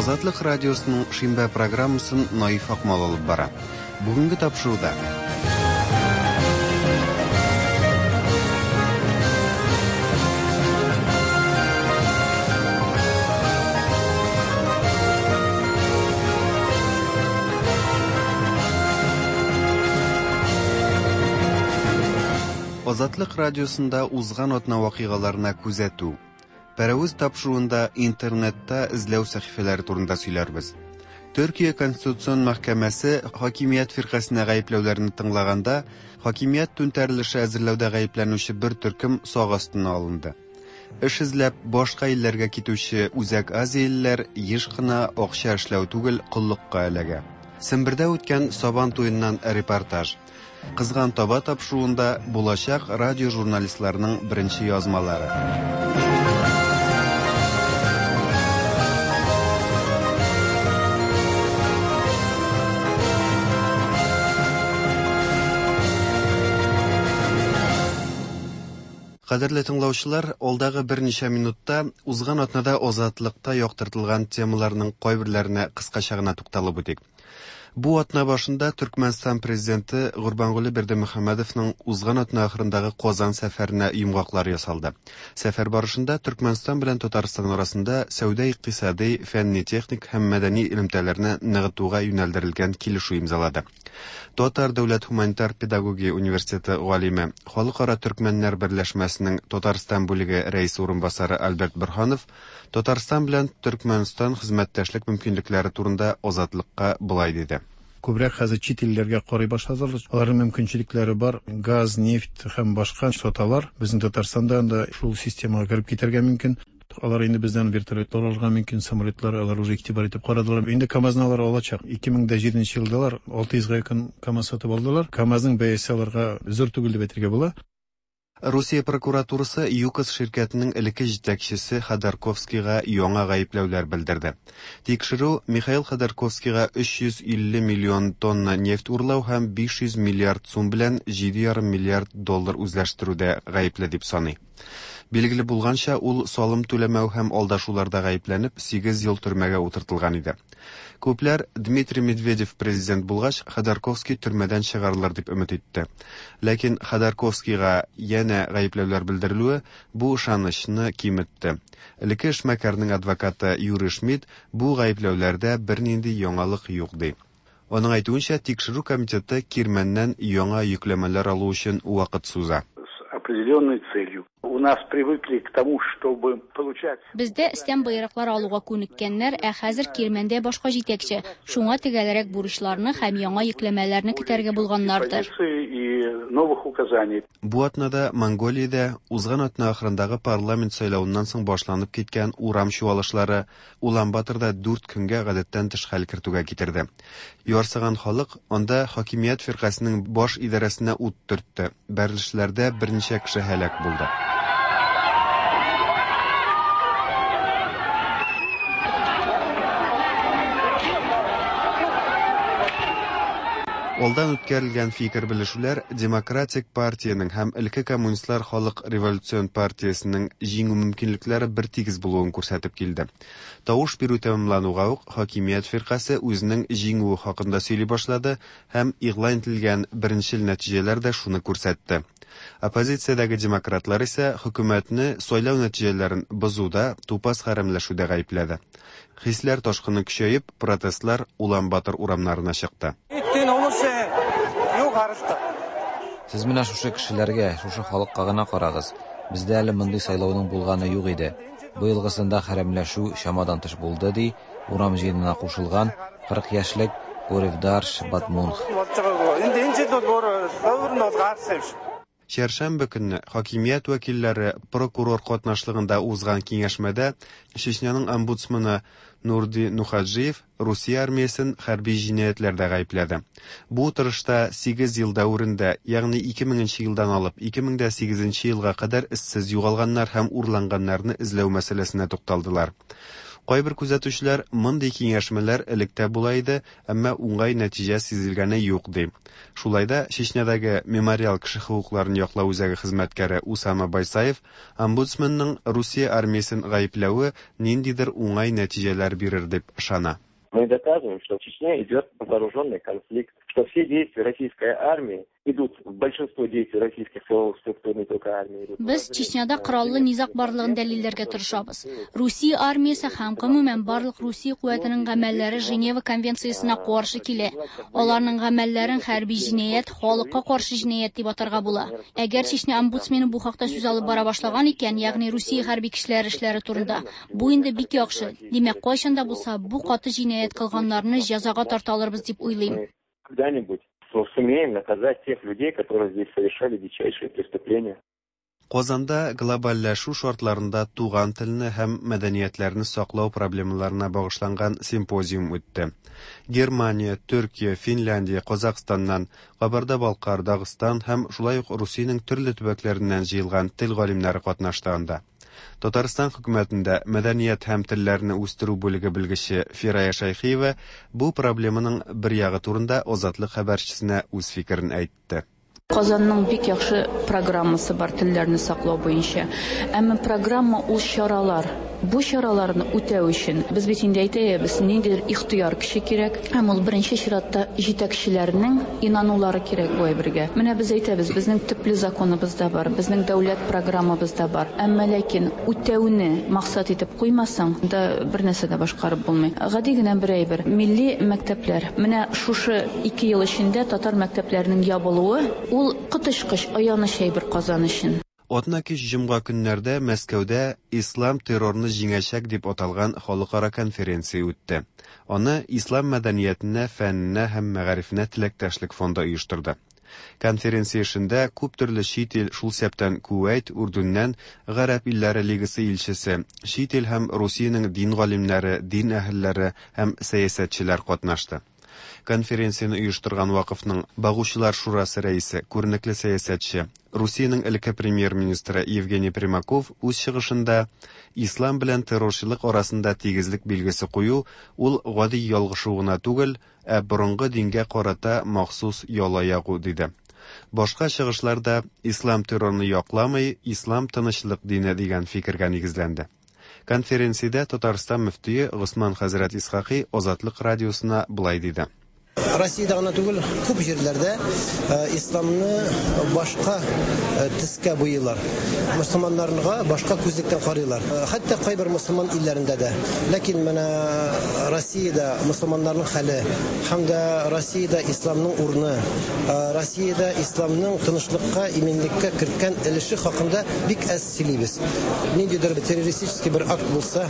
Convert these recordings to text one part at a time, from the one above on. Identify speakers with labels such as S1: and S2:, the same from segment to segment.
S1: Азатлык радиосының шимбә программасын Наиф Акмал алып бара. Бүгенге тапшыруда Азатлык радиосында узган атна вакыйгаларына күзәтү. Пәрәвез тапшыруында интернетта эзләү сәхифәләре турында сөйләрбез. Төркия Конституцион мәхкәмәсе хакимият фиркасенә гаепләүләрне тыңлаганда, хакимият түнтәрелеше әзерләүдә гаепләнүче бер төркем сак астына алынды. Эш эзләп башка илләргә китүче Үзәк Азиялеләр еш кына акча эшләү түгел, коллыкка эләгә. Сембердә үткән Сабан туеннан репортаж. Кызган таба тапшыруында булачак радио журналистларының беренче язмалары. Кадерле тыңлаучылар, алдагы берничә минутта узган атнада Азатлыкта яктыртылган темаларның кайберләренә кыскача гына тукталып үтик. Бу атна башында Төркмәнстан президенты Гурбангулы Бердымөхәммәдовның узган атна ахырындагы Казан сәфәренә йомгаклар ясалды. Сәфәр барышында Төркмәнстан белән Татарстан арасында сәүдә-икътисади, фәнни-техник һәм мәдәни элемтәләрне ныгытуга юнәлдерелгән килешү имзалады. Татар дәүләт һуманитар педагогия университеты галиме, Халыкара төркмәннәр берләшмәсенең Татарстан бүлеге рәисе урынбасары Альберт Борһанов Татарстан белән Төркмәнстан хезмәттәшлек мөмкинлекләре турында Азатлыкка болай диде.
S2: Күбрәк хәзер чит илләргә карый башладылар. Аларның мөмкинчелекләре бар. Газ, нефть һәм башка саталар. Безнең Татарстанда анда шул системага кереп китәргә мөмкин. Алар инде бездән вертолетлар алырга мөмкин, самолетлар алар уже игътибар итеп карадылар. Инде КАМАЗны алар алачак. 2007 елда алар 600 га якын КАМАЗ сатып алдылар. КАМАЗның бәясе аларга зур түгел дип әйтергә була.
S1: Русия прокуратурасы ЮКОС ширкәтенең элекке җитәкчесе Ходорковскийга яңа гаепләүләр белдерде. Тикшерү Михаил Ходорковскийга 350 миллион тонна нефть урлау һәм 500 миллиард сум белән 7,5 миллиард доллар үзләштерүдә гаепле дип саный. Билгеле булганча, ул салым түләмәү һәм алдашуларда гаепләнеп, 8 ел төрмәгә утыртылган иде. Күпләр Дмитрий Медведев президент булгач, Ходорковский төрмәдән чыгарылыр дип өмет итте. Ләкин Ходорковскийга янә гаепләүләр белдерелүе бу ышанычны киметте. Элекке эшмәкәрнең адвокаты Юрий Шмидт бу гаепләүләрдә бернинди яңалык юк ди. Аның әйтүенчә, тикшерү комитеты Кирмәннән яңа йөкләмәләр алу өчен вакыт суза.
S3: С определенной целью. У нас привыкли к тому, чтобы получать...
S4: Бездә өстән боерыклар алуга күнеккәннәр, ә хәзер Кирмәндә башка җитәкче. Шуңа төгәлрәк бурычларны һәм яңа йөкләмәләрне көтәргә булганнардыр.
S3: И новых указаний.
S1: Бу атнада Монголиядә узган атна ахырындагы парламент сайлавыннан соң башланып киткән урам чуалышлары Улан-Баторда дүрт көнгә гадәттән тыш хәл кертүгә китерде. Ярсыган халык анда хакимият фиркасенең баш идарәсенә ут төртте. Бәрелешләрдә берничә кеше һәлак булды. Алдан үткәрелгән фикер белешүләр Демократик партиянең һәм элекке коммунистлар халык революцион партиясенең җиңү мөмкинлекләре бертигез булуын күрсәтеп килде. Тавыш бирү тәмамлануга ук хакимият фиркасе үзенең җиңүе хакында сөйли башлады һәм игълан ителгән беренчел нәтиҗәләр дә шуны күрсәтте. Оппозициядәге демократлар исә хөкүмәтне сайлау нәтиҗәләрен бозуда, тупас хәрәмләшүдә гаепләде. Хисләр ташкыны көчәеп, протестлар Улан-Батор урамнарына чыкты.
S5: Сез менә шушы кешеләргә, шушы халыкка гына карагыз. Бездә әле мондый сайлауның булганы юк иде. Быелгысында хәрәмләшү чамадан тыш булды, ди урам җыенына кушылган 40 яшьлек Горевдарш Батмунх.
S1: Чәршәмбе көнне хакимият вәкилләре прокурор катнашлыгында узган киңәшмәдә Чечняның омбудсмены Нурди Нухаджиев Русия армиясен хәрби җинаятьләрдә гаепләде. Бу утырышта 8 ел дәверендә, ягъни 2000 нче елдан алып 2008 нче елга кадәр эзсез югалганнар һәм урланганнарны эзләү мәсьәләсенә тукталдылар. Кайбер күзәтүчеләр мондый киңәшмәләр элек тә була иде, әмма уңай нәтиҗә сизелгәне юк ди. Шулай да Чечнядагы Мемориал кеше хокукларын яклау үзәге хезмәткәре Усама Байсаев омбудсменның Русия армиясен гаепләве ниндидер уңай нәтиҗәләр бирер дип ышана.
S6: Мы доказываем, что в Чечне идет вооруженный конфликт, что все действия российской армии идут, большинство действий российских силовых структур, не только армии. Идут.
S4: Без Чечняда кораллы низаг барлыгын дәлилләргә тырышабыз. Русия армиясе һәм гомумән барлык Русия куәтенең гамәлләре Женева конвенциясенә каршы килә. Аларның гамәлләрен хәрби җинаять, халыкка каршы җинаять дип атарга була. Әгәр Чечня омбудсмены бу хакта сүз алып бара башлаган икән, ягъни Русия хәрби көчләре эшләре турында, бу инде бик яхшы. Димәк, кайчан да булса бу каты җинаять кылганнарны җәзага тарта алырбыз дип уйлыйм.
S6: Когда-нибудь сумеем наказать тех людей, которые здесь совершали дичайшие преступления.
S1: Казанда глобальләшү шартларында туган телне һәм мәдәниятләрне саклау проблемаларына багышланган симпозиум үтте. Германия, Төркия, Финляндия, Казахстаннан, Кабарда-Балкар, Дагыстан һәм шулай ук Русиянең төрле төбәкләреннән җыелган тел галимнәре катнашты анда. Татарстан хөкүмәтендә мәдәният һәм телләрне үстерү бүлеге белгече Фирая Шәйхиева бу проблеманың бер ягы турында Азатлык хәбәрчесенә үз фикерен әйтте.
S7: Казанның бик яхшы программасы бар телләрне саклау буенча. Әмма программа ул чаралар. Бу чараларны үтәү өчен без бит инде әйтәбез, ниндидер ихтыяр көче кирәк. Һәм ул беренче чиратта җитәкчеләрнең инанулары кирәк бу әйбергә. Менә без әйтәбез, безнең төпле законыбыз да бар, безнең дәүләт программабыз да бар. Әмма ләкин үтәүне максат итеп куймасаң, да бер нәрсә дә башкарып булмый. Гади генә бер әйбер. Милли мәктәпләр. Менә шушы 2 ел эчендә татар мәктәпләренең ябылуы ул коточкыч аяныч әйбер Казан өчен.
S1: Атна кич җомга көннәрдә Мәскәүдә Ислам террорны җиңәчәк дип аталган халыкара конференция үтте. Аны Ислам мәдәниятенә, фәненә һәм мәгарифенә теләктәшлек фонды оештырды. Конференция эшендә күп төрле чит ил, шул исәптән Кувәйт, Үрдүннән, Гарәп илләре лигасы илчесе, чит ил һәм Русиянең дин галимнәре, дин әһелләре һәм сәясәтчеләр катнашты. Конференцияне оештырган вакыфның Багучылар шурасы рәисе, күренекле сәясәтче, Русиянең элекке премьер-министры Евгений Примаков үз чыгышында ислам белән террорчылык арасында тигезлек билгесе кую ул гади ялгышу гына түгел, ә борынгы дингә карата махсус яла ягу диде. Башка чыгышларда ислам террорны якламый, ислам тынычлык дине дигән фикергә нигезләнде. Конференциядә Татарстан мөфтие Госман хәзрәт Исхакый Азатлык радиосына былай диде.
S8: Россиядә гына түгел, күп җирләрдә исламны башка төскә буйыйлар. Мөселманнарга башка күзлектән карыйлар. Хәтта кайбер мөселман илләрендә дә. Ләкин менә Россиядә мөселманнарның хәле һәм дә Россиядә исламның урыны, Россиядә исламның тынычлыкка, иминлеккә керткән өлеше хакында бик әз сөйлибез. Ниндидер террористический бер акт булса,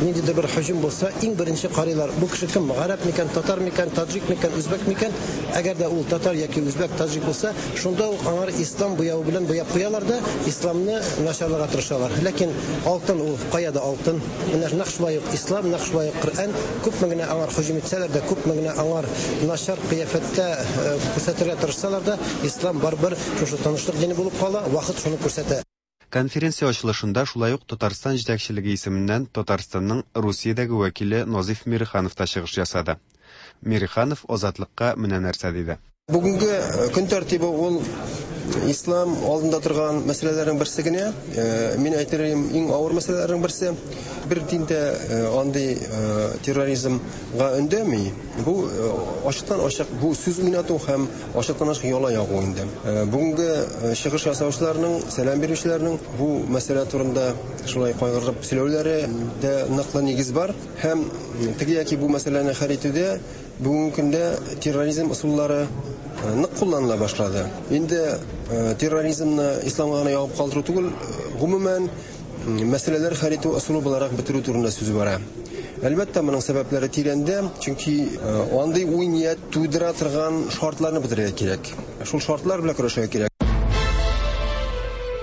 S8: ниндидер бер һөҗүм булса, иң беренче карыйлар. Бу кеше кем? Гарәп микән, татар микән, таҗик микән, үзбәк микән? Әгәр дә ул татар яки үзбәк, таҗик булса, шунда ук аңар ислам буявы белән буяп куялар да, исламны начарларга тырышалар. Ләкин алтын ул кая да алтын. Менә нәкъ шулай ук ислам, нәкъ шулай ук Коръән күпме генә аңар һөҗүм итсәләр дә, күпме генә аңар начар кыяфәттә күрсәтергә тырышсалар да, ислам барыбер шушы тынычлык дине булып кала, вакыт шуны күрсәтә.
S1: Конференция ачылышында шулай ук Татарстан җитәкчелеге исеменнән Татарстанның Русиядәге вәкиле Назиф Мириханов та чыгыш ясады. Мириханов Азатлыкка менә нәрсә диде.
S9: Бүгенге көн тәртибе ул ислам алдында торган мәсьәләләрнең берсе генә. Мин әйтер идем, иң авыр мәсьәләләрнең берсе. Бер дин дә андый терроризмга өндәми. Бу ачыктан-ачык бу сүз уйнату һәм ачыктан-ачык яла ягу инде. Бүгенге чыгыш ясаучыларның, сәлам бирүчеләрнең бу мәсьәлә турында шулай кайгырып сөйләүләре дә ныклы нигез бар. Һәм теге яки бу мәсьәләне хәл итүдә бүгенге көндә терроризм ысуллары нык кулланыла башлады. Инде терроризмны исламга гына ягып калдыру түгел, гомумән мәсьәләләр хәл итү ысулы буларак бетерү турында сүз бара. Әлбәттә, моның сәбәпләре тирәндә, чөнки андый уй-ният тудыра торган шартларны бетерергә кирәк. Шул шартлар белән көрәшергә кирәк.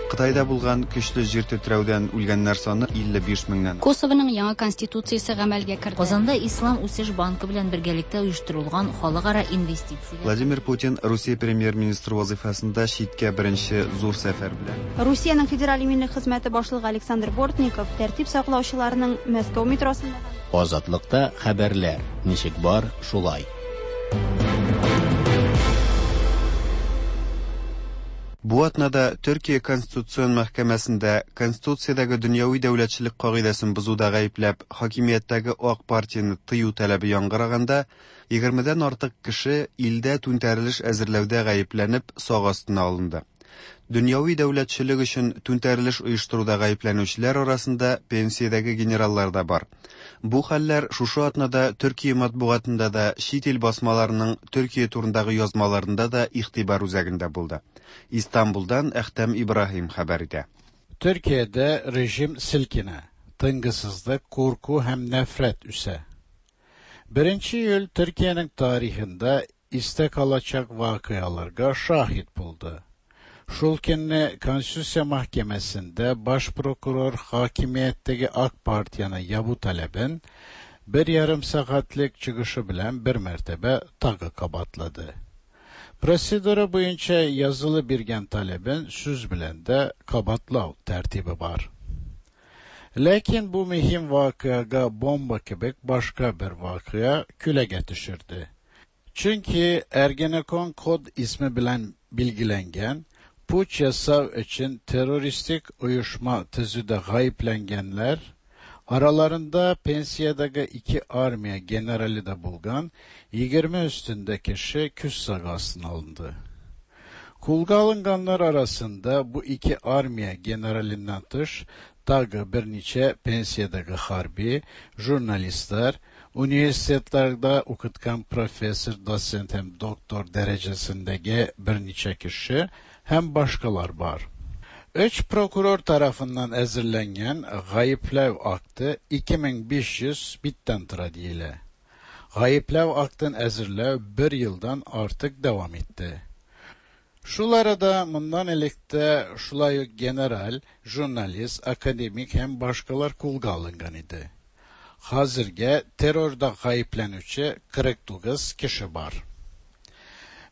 S1: Кытайда булган көчле җир тетрәүдән үлгәннәр саны 55 меңнән.
S4: Косовоның яңа конституциясе гамәлгә керде.
S10: Казанда Ислам үсеш банкы белән бергәлектә оештырылган халыкара инвестицияләр.
S1: Владимир Путин Русия премьер-министры вазыйфасында читкә беренче зур сәфәр белән.
S11: Русиянең Федераль иминлек хезмәте башлыгы Александр Бортников тәртип саклаучыларның Мәскәү метросында.
S12: Азатлыкта хәбәрләр ничек бар, шулай.
S1: Бу атнада Төркия Конституцион мәхкәмәсендә Конституциядәге дөньяви дәүләтчелек кагыйдәсен бозуда гаепләп хакимияттәге Ак партияне тыю таләбе яңгыраганда, егермедән артык кеше илдә түнтәрелеш әзерләүдә гаепләнеп сак астына алынды. Дөньяви дәүләтчелек өчен түнтәрелеш оештыруда гаепләнүчеләр арасында пенсиядәге генераллар да бар. Бу хәлләр шушы атнада Төркия матбугатында да, чит ил басмаларының Төркия турындагы язмаларында да игътибар үзәгендә булды. Истанбулдан Әхтәм Ибраһим хәбәр итә.
S13: Төркиядә режим селкенә, тынгысызлык, курку һәм нәфрәт үсә. Беренче июль Төркиянең тарихында истә калачак вакыйгаларга шаһит булды. Шул көнне Конституция мәхкәмәсендә баш прокурор хакимияттәге Ак партияне ябу таләбен бер ярым сәгатьлек чыгышы белән бер мәртәбә тагы кабатлады. Процедура буенча язылы биргән таләбен сүз белән дә кабатлау тәртибе бар. Ләкин бу мөһим вакыйгага бомба кебек башка бер вакыйга күләгә төшерде. Чөнки Ergenekon kod ismi белән билгеләнгән puç ясау өчен террористик оешма төзүдә гаепләнгәннәр, араларында пенсиядәге ике армия генералы да булган 20 өстендә кеше күз сагы астына алынды. Кулга алынганнар арасында бу ике армия генералыннан тыш тагы берничә пенсиядәге хәрби, журналистлар, университетларда укыткан профессор, доцент һәм доктор дәрәҗәсендәге берничә кеше һәм башкалар бар. Өч прокурор тарафыннан әзерләнгән гаепләү акты 2500 биттән тора диелә. Гаепләү актын әзерләү бер елдан артык дәвам итте. Шул арада моннан элек тә шулай ук генераль, журналист, академик һәм башкалар кулга алынган иде. Хәзергә террорда гаепләнүче 49 кеше бар.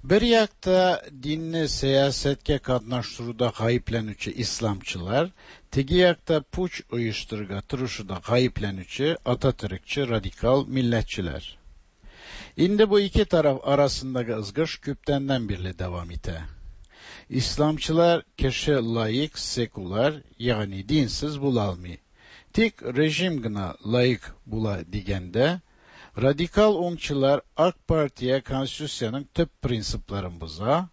S13: Бер якта динне сәясәткә катнаштыруда гаепләнүче исламчылар, теге якта путч оештырырга тырышуда гаепләнүче ататөркче радикал милләтчеләр. Инде бу ике тараф арасындагы ызгыш күптәннән бирле дәвам итә. Исламчылар кеше лаик, секуляр, ягъни динсез була алмый. Тик режим гына лаик була дигәндә, радикал уңчылар Ак партия конституциянең төп принципларын боза,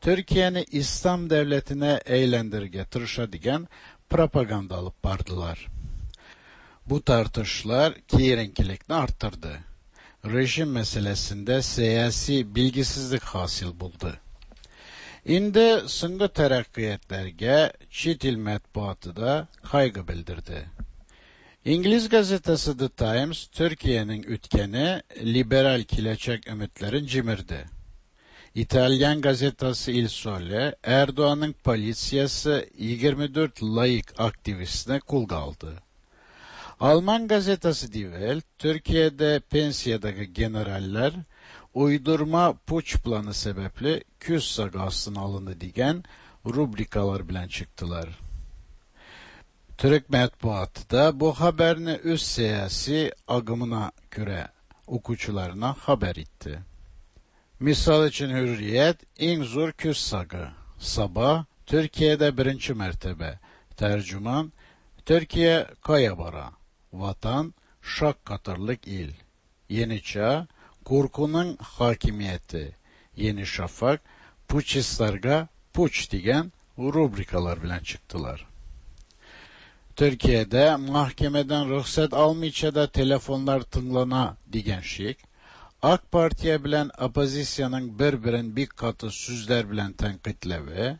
S13: Төркияне ислам дәүләтенә әйләндерергә тырыша дигән пропаганда алып бардылар. Бу тартышлар киеренкелекне арттырды. Режим мәсьәләсендә сәяси билгесезлек хасил булды. Инде соңгы тәрәккыятләргә чит ил матбугаты да кайгы белдерде. İngiliz gazetesi The Times, Türkiye'nin ütkeni liberal киләчәк өметләрен җимерде. İtalyan gazetesi Il Sole, Erdoğan'ın politsiyası 24 laik aktivistine kul aldı. Alman gazetesi Die Welt, Türkiye'de pensiyadaki generaller uydurma puç planı sebeple küs sagı astına alındı diyen rubrikalar bilen çıktılar. Türk matbuatı da bu haberini üst siyasi agımına göre okuyucularına haber etti. Misal için Hürriyet, en zor küs sagı. Sabah, Türkiye'de birinci mertebe. Tercüman, Türkiye kaya bara. Vatan, şak katırlık il. Yeni Çağ, korkunun hakimiyeti. Yeni Şafak, puçistlarga puç diyen rubrikalar bilen çıktılar. Türkiye'de mahkemeden ruhsat almayınca da telefonlar tınglana diyen şik, AK Partiye bilen opozisyanın bir-birin bir katı sözler bilen tenkitlevi,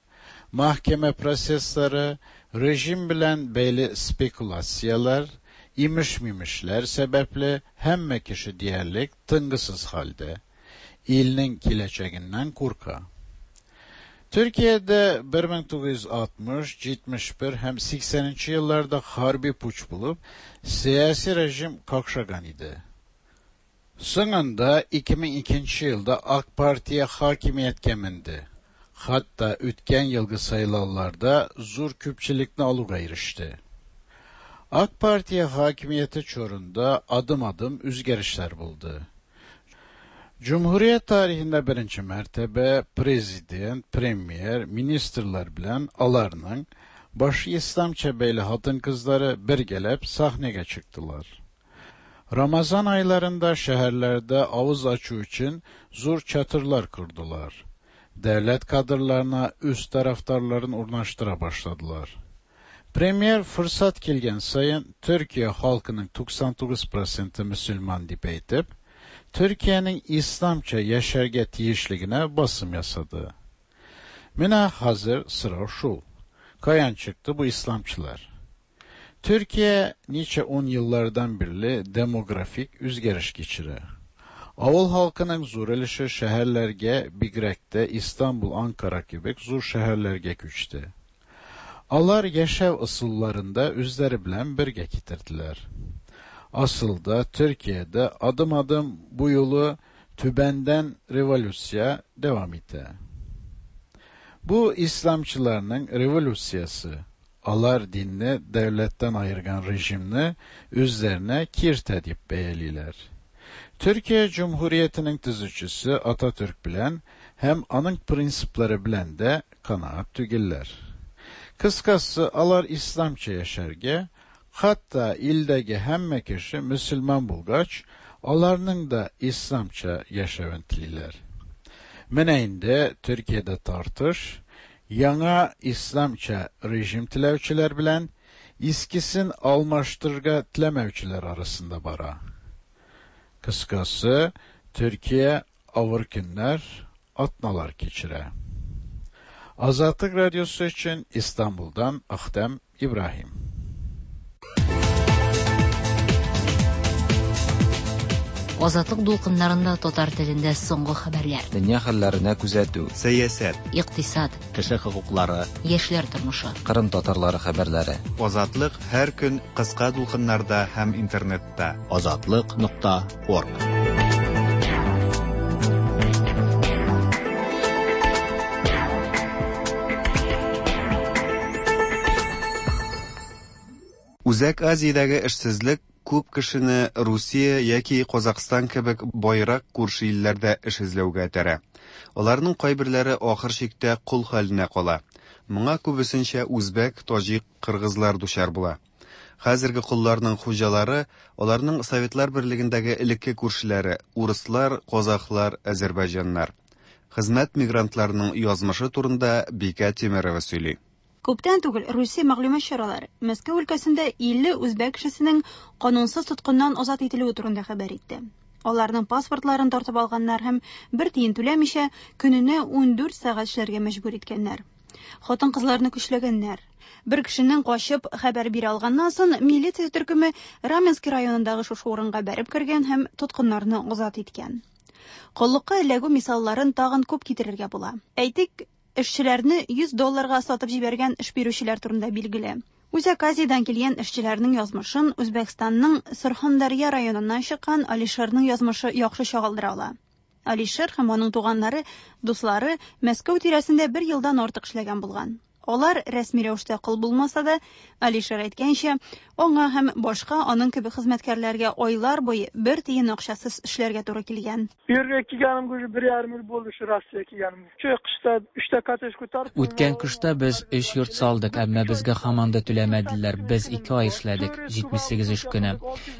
S13: mahkeme prosesleri, rejim bilen beyli spekülasyalar, imiş mimişler sebeple hemme kişi diyerlik tıngısız halde, ilinin kileceğinden korka. Төркиядә 1960, 71 һәм 80 нче елларда хәрби путч булып, сәяси режим какшаган иде. Соңында 2002 нче елда Ак партия хакимияткә менде. Хәтта үткән елгы сайлауларда зур күпчелекне алуга иреште. Ак партия хакимияте чорында адым-адым үзгәрешләр булды. Җөмһүрият тарихында беренче мәртәбә президент, премьер, министрлар белән аларның башы исламча бәйле хатын-кызлары бергәләп сәхнәгә чыктылар. Рамазан айларында шәһәрләрдә авыз ачу өчен зур чатырлар кордылар. Дәүләт кадрларына үз тарафдарларын урнаштыра башладылар. Премьер форсат килгән саен Төркия халкының 99 проценты мөселман дип әйтеп, Төркиянең исламча яшәргә тиешлегенә басым ясады. Менә хәзер сорау шул, каян чыкты бу исламчылар? Төркия ничә ун еллардан бирле демографик үзгәреш кичерә. Авыл халкының зур өлеше шәһәрләргә, бигрәк тә Истанбул, Анкара кебек зур шәһәрләргә күчте. Алар яшәү ысулларын да үзләре белән бергә китерделәр. Асылда Төркиядә адым-адым бу юлы түбәндән революция дәвам итә. Бу исламчыларның революциясе. Алар динне дәүләттән аерган режимны үзләренә киртә дип бәялиләр. Төркия җөмһүриятенең төзүчесе Ататөрк белән һәм аның принциплары белән дә канәгать түгелләр. Кыскасы, алар исламча яшәргә, хәтта илдәге һәммә кеше мөселман булгач, аларның да исламча яшәвен телиләр. Менә инде Төркиядә тартыш яңа исламча режим теләүчеләр белән искесен алмаштырырга теләмәүчеләр арасында бара. Кыскасы, Төркия авыр көннәр, атналар кичерә. Азатлык радиосы өчен Истанбулдан Ахтәм Ибраһим.
S10: Азатлык дулкыннарында татар телендә соңгы хәбәрләр.
S5: Дөнья хәлләренә күзәтү.
S1: Сәясәт.
S10: Икътисад.
S12: Кеше хокуклары.
S10: Яшьләр тормышы.
S5: Кырым татарлары хәбәрләре.
S1: Азатлык һәр көн кыска дулкыннарда һәм интернетта.
S12: Азатлык нокта орг.
S1: Үзәк Азиядәге эшсезлек күп кешене Русия яки Казакъстан кебек баерак күрше илләрдә эш эзләүгә этәрә. Аларның кайберләре ахыр чиктә кол хәленә кала. Моңа күбесенчә үзбәк, таҗик, кыргызлар дучар була. Хәзерге колларның хуҗалары, аларның Советлар Берлегендәге элекке күршеләре, урыслар, казахлар, әзербайҗаннар. Хезмәт мигрантларының язмышы турында Бикә Тимерова сөйли.
S11: Күптән түгел Русия мәгълүмат чаралары Мәскәү өлкәсендә 50 үзбәк кешесенең канунсыз тоткыннан азат ителүе турында хәбәр итте. Аларның паспортларын тартып алганнар һәм бер тиен түләмичә көненә 14 сәгать эшләргә мәҗбүр иткәннәр. Хатын-кызларны көчләгәннәр. Бер кешенең качып хәбәр бирә алганнан соң, милиция төркеме Раменский районындагы шушы урынга бәреп кергән һәм тоткыннарны азат иткән. Коллыкка эләгү мисалларын тагын күп китерергә була. Әйтик, эшчеләрне 100 долларга сатып җибәргән эш бирүчеләр турында билгеле. Үзәк Азиядән килгән эшчеләрнең язмышын Үзбәкстанның Сырхандарья районыннан чыккан Алишерның язмышы яхшы чагылдыра ала. Алишер һәм аның туганнары, дуслары Мәскәү тирәсендә бер елдан артык эшләгән булган. Алар рәсми рәвештә кол булмаса да, Алишер әйткәнчә, аңа һәм башка аның кебек хезмәткәрләргә айлар буе бер тиен акчасыз эшләргә туры килгән.
S14: Bu yerga kelganimga уже bir yarim yil bo'ldi shu Rossiyaga kelganimga. Shu qishda uchta kottedj ko'tarib.
S15: Үткән кышта без өч йорт салдык, әмма безгә һаман да түләмәделәр. Без ике ай эшләдек, 78 эш көне.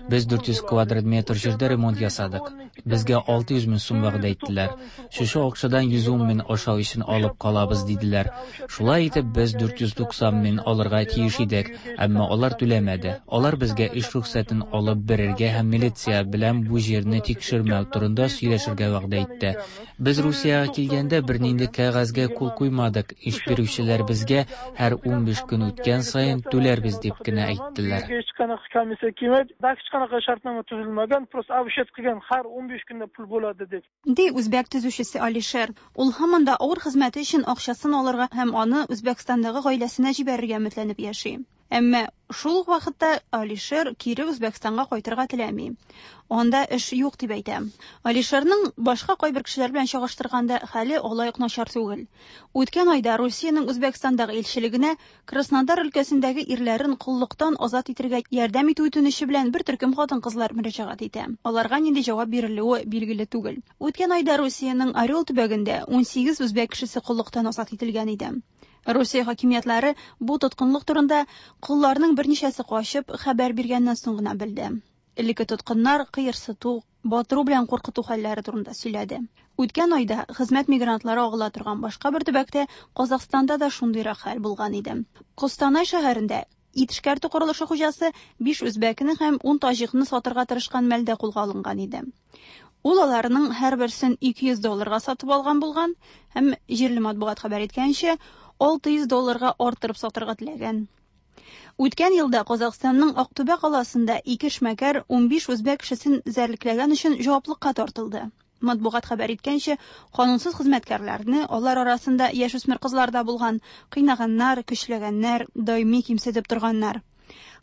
S15: Без 400 квадрат метр җирдә ремонт ясадык. Безгә 600 мең сум вәгъдә иттеләр. Шушы акчадан 110 мең ашау өчен алып калабыз, диделәр. Шулай итеп, без 490 мең алырга тиеш идек, әмма алар түләмәде. Алар безгә эш рөхсәтен алып бирергә һәм милиция белән бу җирне тикшермәү турында сөйләшергә вәгъдә итте. Без Русиягә килгәндә бернинди кәгазьгә кул куймадык. Эш бирүчеләр безгә һәр 15 көн үткән саен түләрбез дип кенә әйттеләр.
S14: Hech qanaqa komissiya kelmaydi, hech qanaqa shartnoma tuzilmagan, просто обещать qilgan har 15 5 kunda pul bo'ladi deb.
S11: Ди үзбәк төзүчесе Алишер. Ул һаман да авыр хезмәте өчен акчасын алырга һәм аны Үзбәкстандагы гаиләсенә җибәрергә өметләнеп яши. Әмма шул ук вакытта Алишер кире Үзбәкстанга кайтырга теләми. Анда эш юк дип әйтә. Алишерның башка кайбер кешеләр белән чагыштырганда хәле алай ук начар түгел. Үткән айда Русиянең Үзбәкстандагы илчелегенә Краснодар өлкәсендәге ирләрен коллыктан азат итергә ярдәм итү үтенече белән бер төркем хатын-кызлар мөрәҗәгать итә. Аларга нинди җавап бирелүе билгеле түгел. Үткән айда Русиянең Орел төбәгендә 18 үзбәк кешесе коллыктан азат ителгән иде. Русия хакимиятләре бу тоткынлык турында колларның берничәсе качып хәбәр биргәннән соң гына белде. Элекке тоткыннар кыерсыту, батыру белән куркыту хәлләре турында сөйләде. Үткән айда хезмәт мигрантлары агыла торган башка бер төбәктә, Казахстанда да шундыйрак хәл булган иде. Костанай шәһәрендә ит эшкәртү корылышы хуҗасы 5 үзбәкне һәм 10 таҗикны сатырга тырышкан мәлдә кулга алынган иде. Ул аларның һәрберсен 200 долларга сатып алган булган һәм, җирле матбугат хәбәр иткәнчә, 600 долларга арттырып сатырга теләгән. Үткән елда Казахстанның Актүбә каласында ике эшмәкәр 15 үзбәк кешесен эзәрлекләгән өчен җаваплыкка тартылды. Матбугат хәбәр иткәнчә, канунсыз хезмәткәрләрне, алар арасында яшүсмер кызлар да булган, кыйнаганнар, көчләгәннәр, даими кимсетеп торганнар.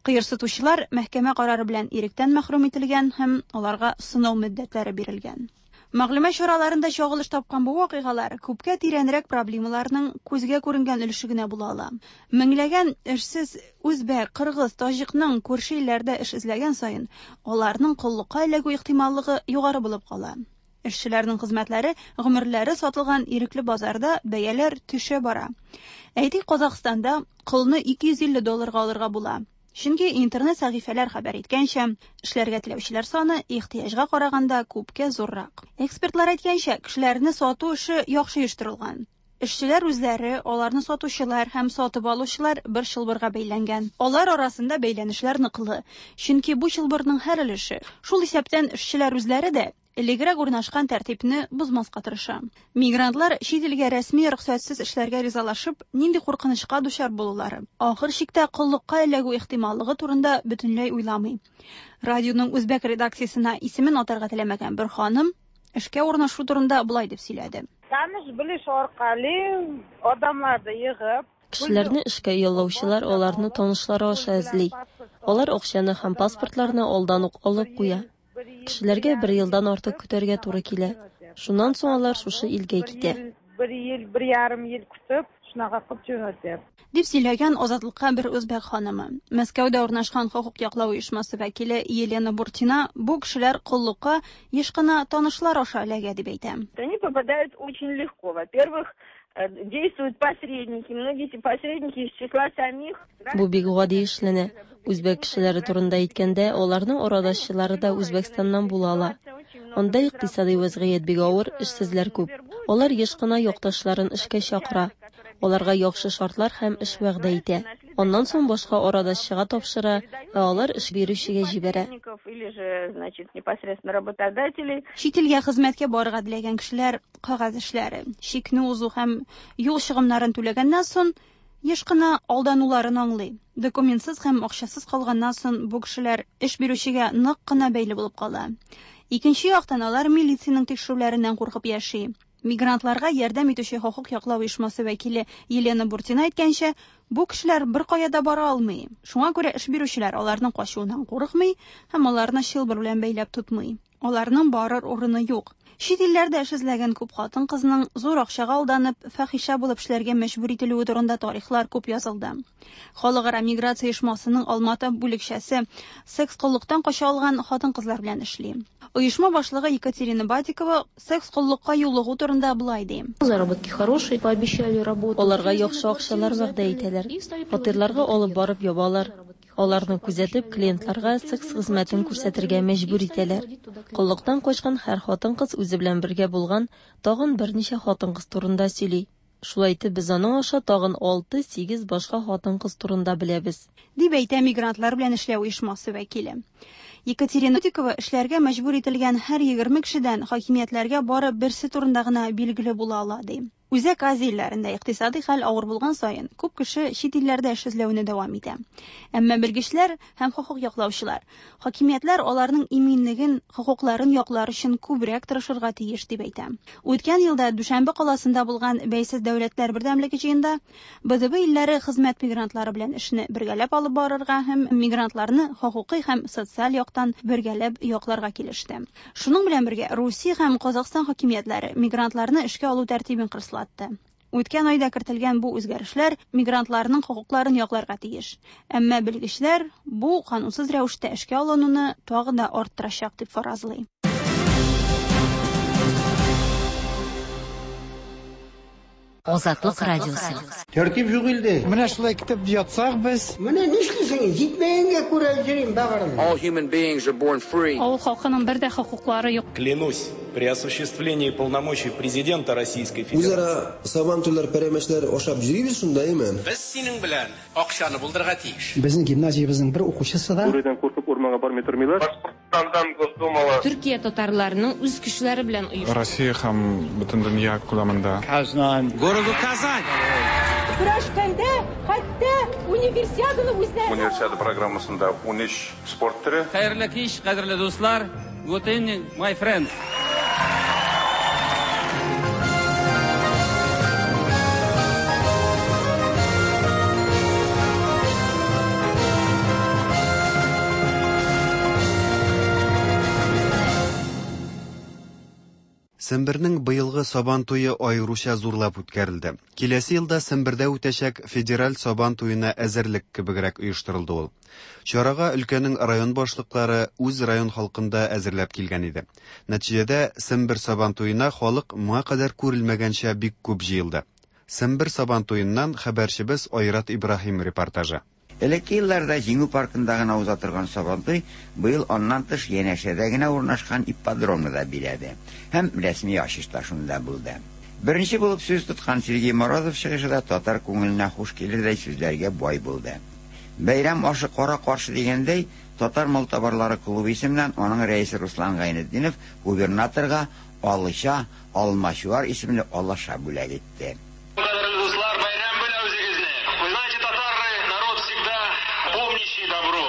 S11: Кыерсытучылар мәхкәмә карары белән иректән мәхрүм ителгән һәм аларга сынау мөддәтләре бирелгән. Мәгълүмат чараларында чагылыш тапкан бу вакыйгалар күпкә тирәнрәк проблемаларның күзгә күренгән өлеше генә була ала. Меңләгән эшсез үзбәк, кыргыз, таҗикның күрше илләрдә эш эзләгән саен, аларның коллыкка эләгү ихтималлыгы югары булып кала. Эшчеләрнең хезмәтләре, гомерләре сатылган ирекле базарда бәяләр төшә бара. Әйтик, Казахстанда колны 250 долларга алырга була. Чөнки интернет сәхифәләр хәбәр иткәнчә, эшләргә теләүчеләр саны ихтыяҗга караганда күпкә зуррак. Экспертлар әйткәнчә, кешеләрне сату эше яхшы оештырылган. Эшчеләр үзләре, аларны сатучылар һәм сатып алучылар бер чылбырга бәйләнгән. Алар арасында бәйләнешләр ныклы, чөнки бу чылбырның һәр өлеше, шул исәптән эшчеләр үзләре дә, элегрәк урнашкан тәртипне бозмаска тырыша. Мигрантлар чит илгә рәсми рөхсәтсез эшләргә ризалашып, нинди куркынычка дучар булулары, ахыр чиктә коллыкка эләгү ихтималлыгы турында бөтенләй уйламый. Радионың үзбәк редакциясенә исемен атарга теләмәгән бер ханым эшкә урнашу турында болай дип сөйләде.
S16: Таныш-белеш аркали адамларны йыгып,
S17: Кешеләрне эшкә яллаучылар аларны танышлары аша эзли. Алар акчаны һәм паспортларны алдан ук алып куя. Кешеләргә бер елдан артык көтәргә туры килә. Шуннан соң алар шушы илгә китә.
S16: Бер ел, бер ярым ел көтеп, шунака кылып җөнәтә.
S11: Дип сөйләгән Азатлыкка бер үзбәк ханымы. Мәскәүдә урнашкан хокук яклау оешмасы вәкиле Елена Буртина бу кешеләр коллыкка еш кына танышлар аша эләгә дип әйтә.
S18: Они попадают очень легко. Во-первых, действуют посредники. Многие эти посредники из числа самих.
S17: Бу бик гади эшләнә. Үзбәк кешеләре турында әйткәндә, аларның арадашчылары да Үзбәкстаннан була ала. Анда икътисадый вәзгыять бик авыр, эшсезләр күп. Алар еш кына якташларын эшкә чакыра. Аларга яхшы шартлар һәм эш вәгъдә итә. Аннан соң башка арадашчыга тапшыра, ә алар эш бирүчегә җибәрә.
S18: Или же, значит, непосредственно работодателей.
S11: Чит илгә хезмәткә барырга теләгән кешеләр кәгазь эшләре, чикне узу һәм юл чыгымнарын түләгәннән соң, еш кына алдануларын аңлый. Документсыз һәм акчасыз калганнан соң бу кешеләр эш бирүчегә нык кына бәйле булып кала. Икенче яктан, алар милициянең тикшерүләреннән куркып яши. Мигрантларга ярдәм итүче хокук яклау оешмасы вәкиле Елена Буртина әйткәнчә, бу кешеләр беркая да бара алмый. Шуңа күрә эш бирүчеләр аларның качуыннан курыкмый һәм аларны чылбыр белән бәйләп тотмый. Аларның барыр урыны юк. Чит илләрдә эш эзләгән күп хатын-кызның зур акчага алданып, фәхишә булып эшләргә мәҗбүр ителүе турында тарихлар күп язылды. Халыкара миграция оешмасының Алматы бүлекчәсе секс-коллыктан кача алган хатын-кызлар белән эшли. Оешма башлыгы Екатерина Батикова секс-коллыкка юлыгу турында болай ди.
S19: Заработки хорошие, пообещали работу.
S17: Аларга яхшы акчалар вәгъдә итәләр. Фатирларга алып барып ябалар. Аларны күзәтеп, клиентларга секс хезмәтен күрсәтергә мәҗбүр итәләр. Коллыктан качкан һәр хатын-кыз үзе белән бергә булган тагын берничә хатын-кыз турында сөйли. Шулай итеп, без аның аша тагын 6-8 башка хатын-кыз турында беләбез.
S11: Дип әйтә мигрантлар белән эшләү оешмасы вәкиле. Екатерина Батикова эшләргә мәҗбүр ителгән һәр 20 кешедән хакимиятләргә бары берсе турында гына билгеле була ала, ди. Үзәк Азия илләрендә икътисадый хәл авыр булган саен, күп кеше чит илләрдә эш эзләүне дәвам итә. Әмма белгечләр һәм хокук яклаучылар, хакимиятләр аларның иминлеген, хокукларын яклар өчен күбрәк тырышырга тиеш дип әйтә. Үткән елда Дүшәмбе каласында булган Бәйсез дәүләтләр бердәмлеге җыенда БДБ илләре хезмәт мигрантлары белән эшне бергәләп алып барырга һәм мигрантларны хокукый һәм социаль яктан бергәләп якларга килеште. Шуның белән бергә Русия һәм Казахстан хакимиятләре мигрантларны эшкә алу тәртибен кырыслатты. Үткән айда кертелгән бу үзгәрешләр мигрантларның хокукларын якларга тиеш. Әмма белгечләр бу канунсыз рәвештә эшкә алынуны тагы да арттырачак дип фаразлый.
S10: Азатлык радиосы.
S20: Тәртип юк илдә.
S21: Менә шулай итеп ятсак без.
S20: Менә нишлисең, җитмәгәнгә күрә йөрим бәгырем.
S22: All human beings are born free.
S23: Авыл халкының бер дә хокуклары юк.
S24: Клянусь при осуществлении полномочий президента Российской Федерации.
S9: Үзара сабантуйлар, пәрәмәчләр ашап йөрибез шунда, әйме?
S25: Без синең белән акчаны булдырырга тиеш.
S26: Безнең гимназиябезнең бер укучысы да.
S6: Бүредән куркып урманга бармый тормыйлар.
S27: Башкортстандан Госдумалы.
S28: Төркия татарларының үз көчләре белән оешты.
S29: Россия һәм бөтен дөнья күләмендә.
S30: Казан.
S25: Городу Казань.
S16: Көрәшкәндә хәтта универсиаданы үзләре.
S27: Универсиада программасында 13 спорт төре.
S31: Хәерле кич, кадерле дуслар. Good evening, my friends.
S1: Сембернең быелгы Сабан туе аеруча зурлап үткәрелде. Киләсе елда Сембердә үтәчәк федераль Сабан туена әзерлек кебегрәк оештырылды ул. Чарага өлкәнең район башлыклары үз район халкын да әзерләп килгән иде. Нәтиҗәдә, Сембер Сабан туена халык моңа кадәр күрелмәгәнчә бик күп җыелды. Сембер Сабан туеннан хәбәрчебез Айрат Ибраһим репортажы.
S32: Элекке елларда Җиңү паркында гына уза торган Сабантуй быел аннан тыш янәшәдә генә урнашкан ипподромны да биләде һәм рәсми ачыш та шунда булды. Беренче булып сүз тоткан Сергей Морозов чыгышы да татар күңеленә хуш килердәй сүзләргә бай булды. Бәйрәм ашы кара-каршы дигәндәй, Татар малтабарлары клубы исеменнән аның рәисе Руслан Гайнетдинов губернаторга Алыча, Алмачуар исемле алаша бүләк итте.
S33: Кадерле дуслар, бәйрәм белән үзегезне! Вы знаете, татары, народ всегда помнящий добро.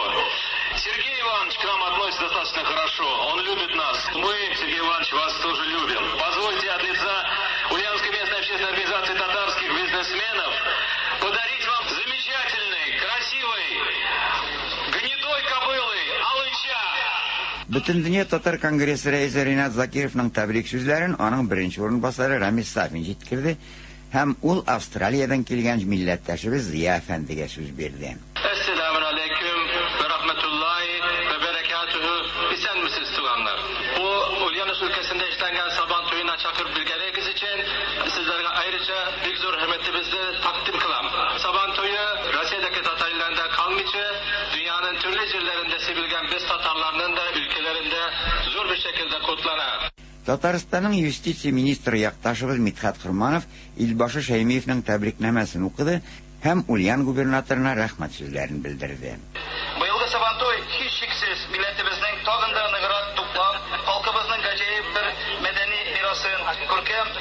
S33: Сергей Иванович к нам относится достаточно хорошо, он любит нас. Мы, Сергей Иванович, вас тоже любим. Позвольте от лица Ульяновской местной общественной организации татарских бизнесменов подарить вам замечательный, красивый, гнедой кобылы Алыча.
S32: Бөтендөнья татар конгрессы рәисе Ринат Закировның тәбрик сүзләрен аның беренче урынбасары Рамис Сафин җиткерде һәм ул Австралиядән килгән милләттәшебез Зыя әфәндегә сүз бирде.
S33: Әссәламү галәйкүм вә рахмәтуллаһи вә бәрәкәтүһү. Исәнмесез, туганнар. Бу Ульяновск өлкәсендә эшләнгән Сабан туена чакырып белгәнегез өчен сезләргә аеруча бик зур хөрмәтебезне тәкъдим кылам. Сабан туе Россиядәге татар илләрендә калмыйча, дөньяның төрле җирләрендә сибелгән без татарларның да өлкәләрендә зур бер шәкелдә котлана.
S32: Татарстанның юстиция министры якташыбыз Мидхәт Корманов Илбашы Шәймиевнең тәбрикнамәсен укыды һәм Ульян губернаторына рәхмәт сүзләрен белдерде.
S33: Быелгы Сабантуй, һичшиксез, милләтебезнең тагын да ныграк туплап, халкыбызның гаҗәеп бер мәдәни мирасын, күркәм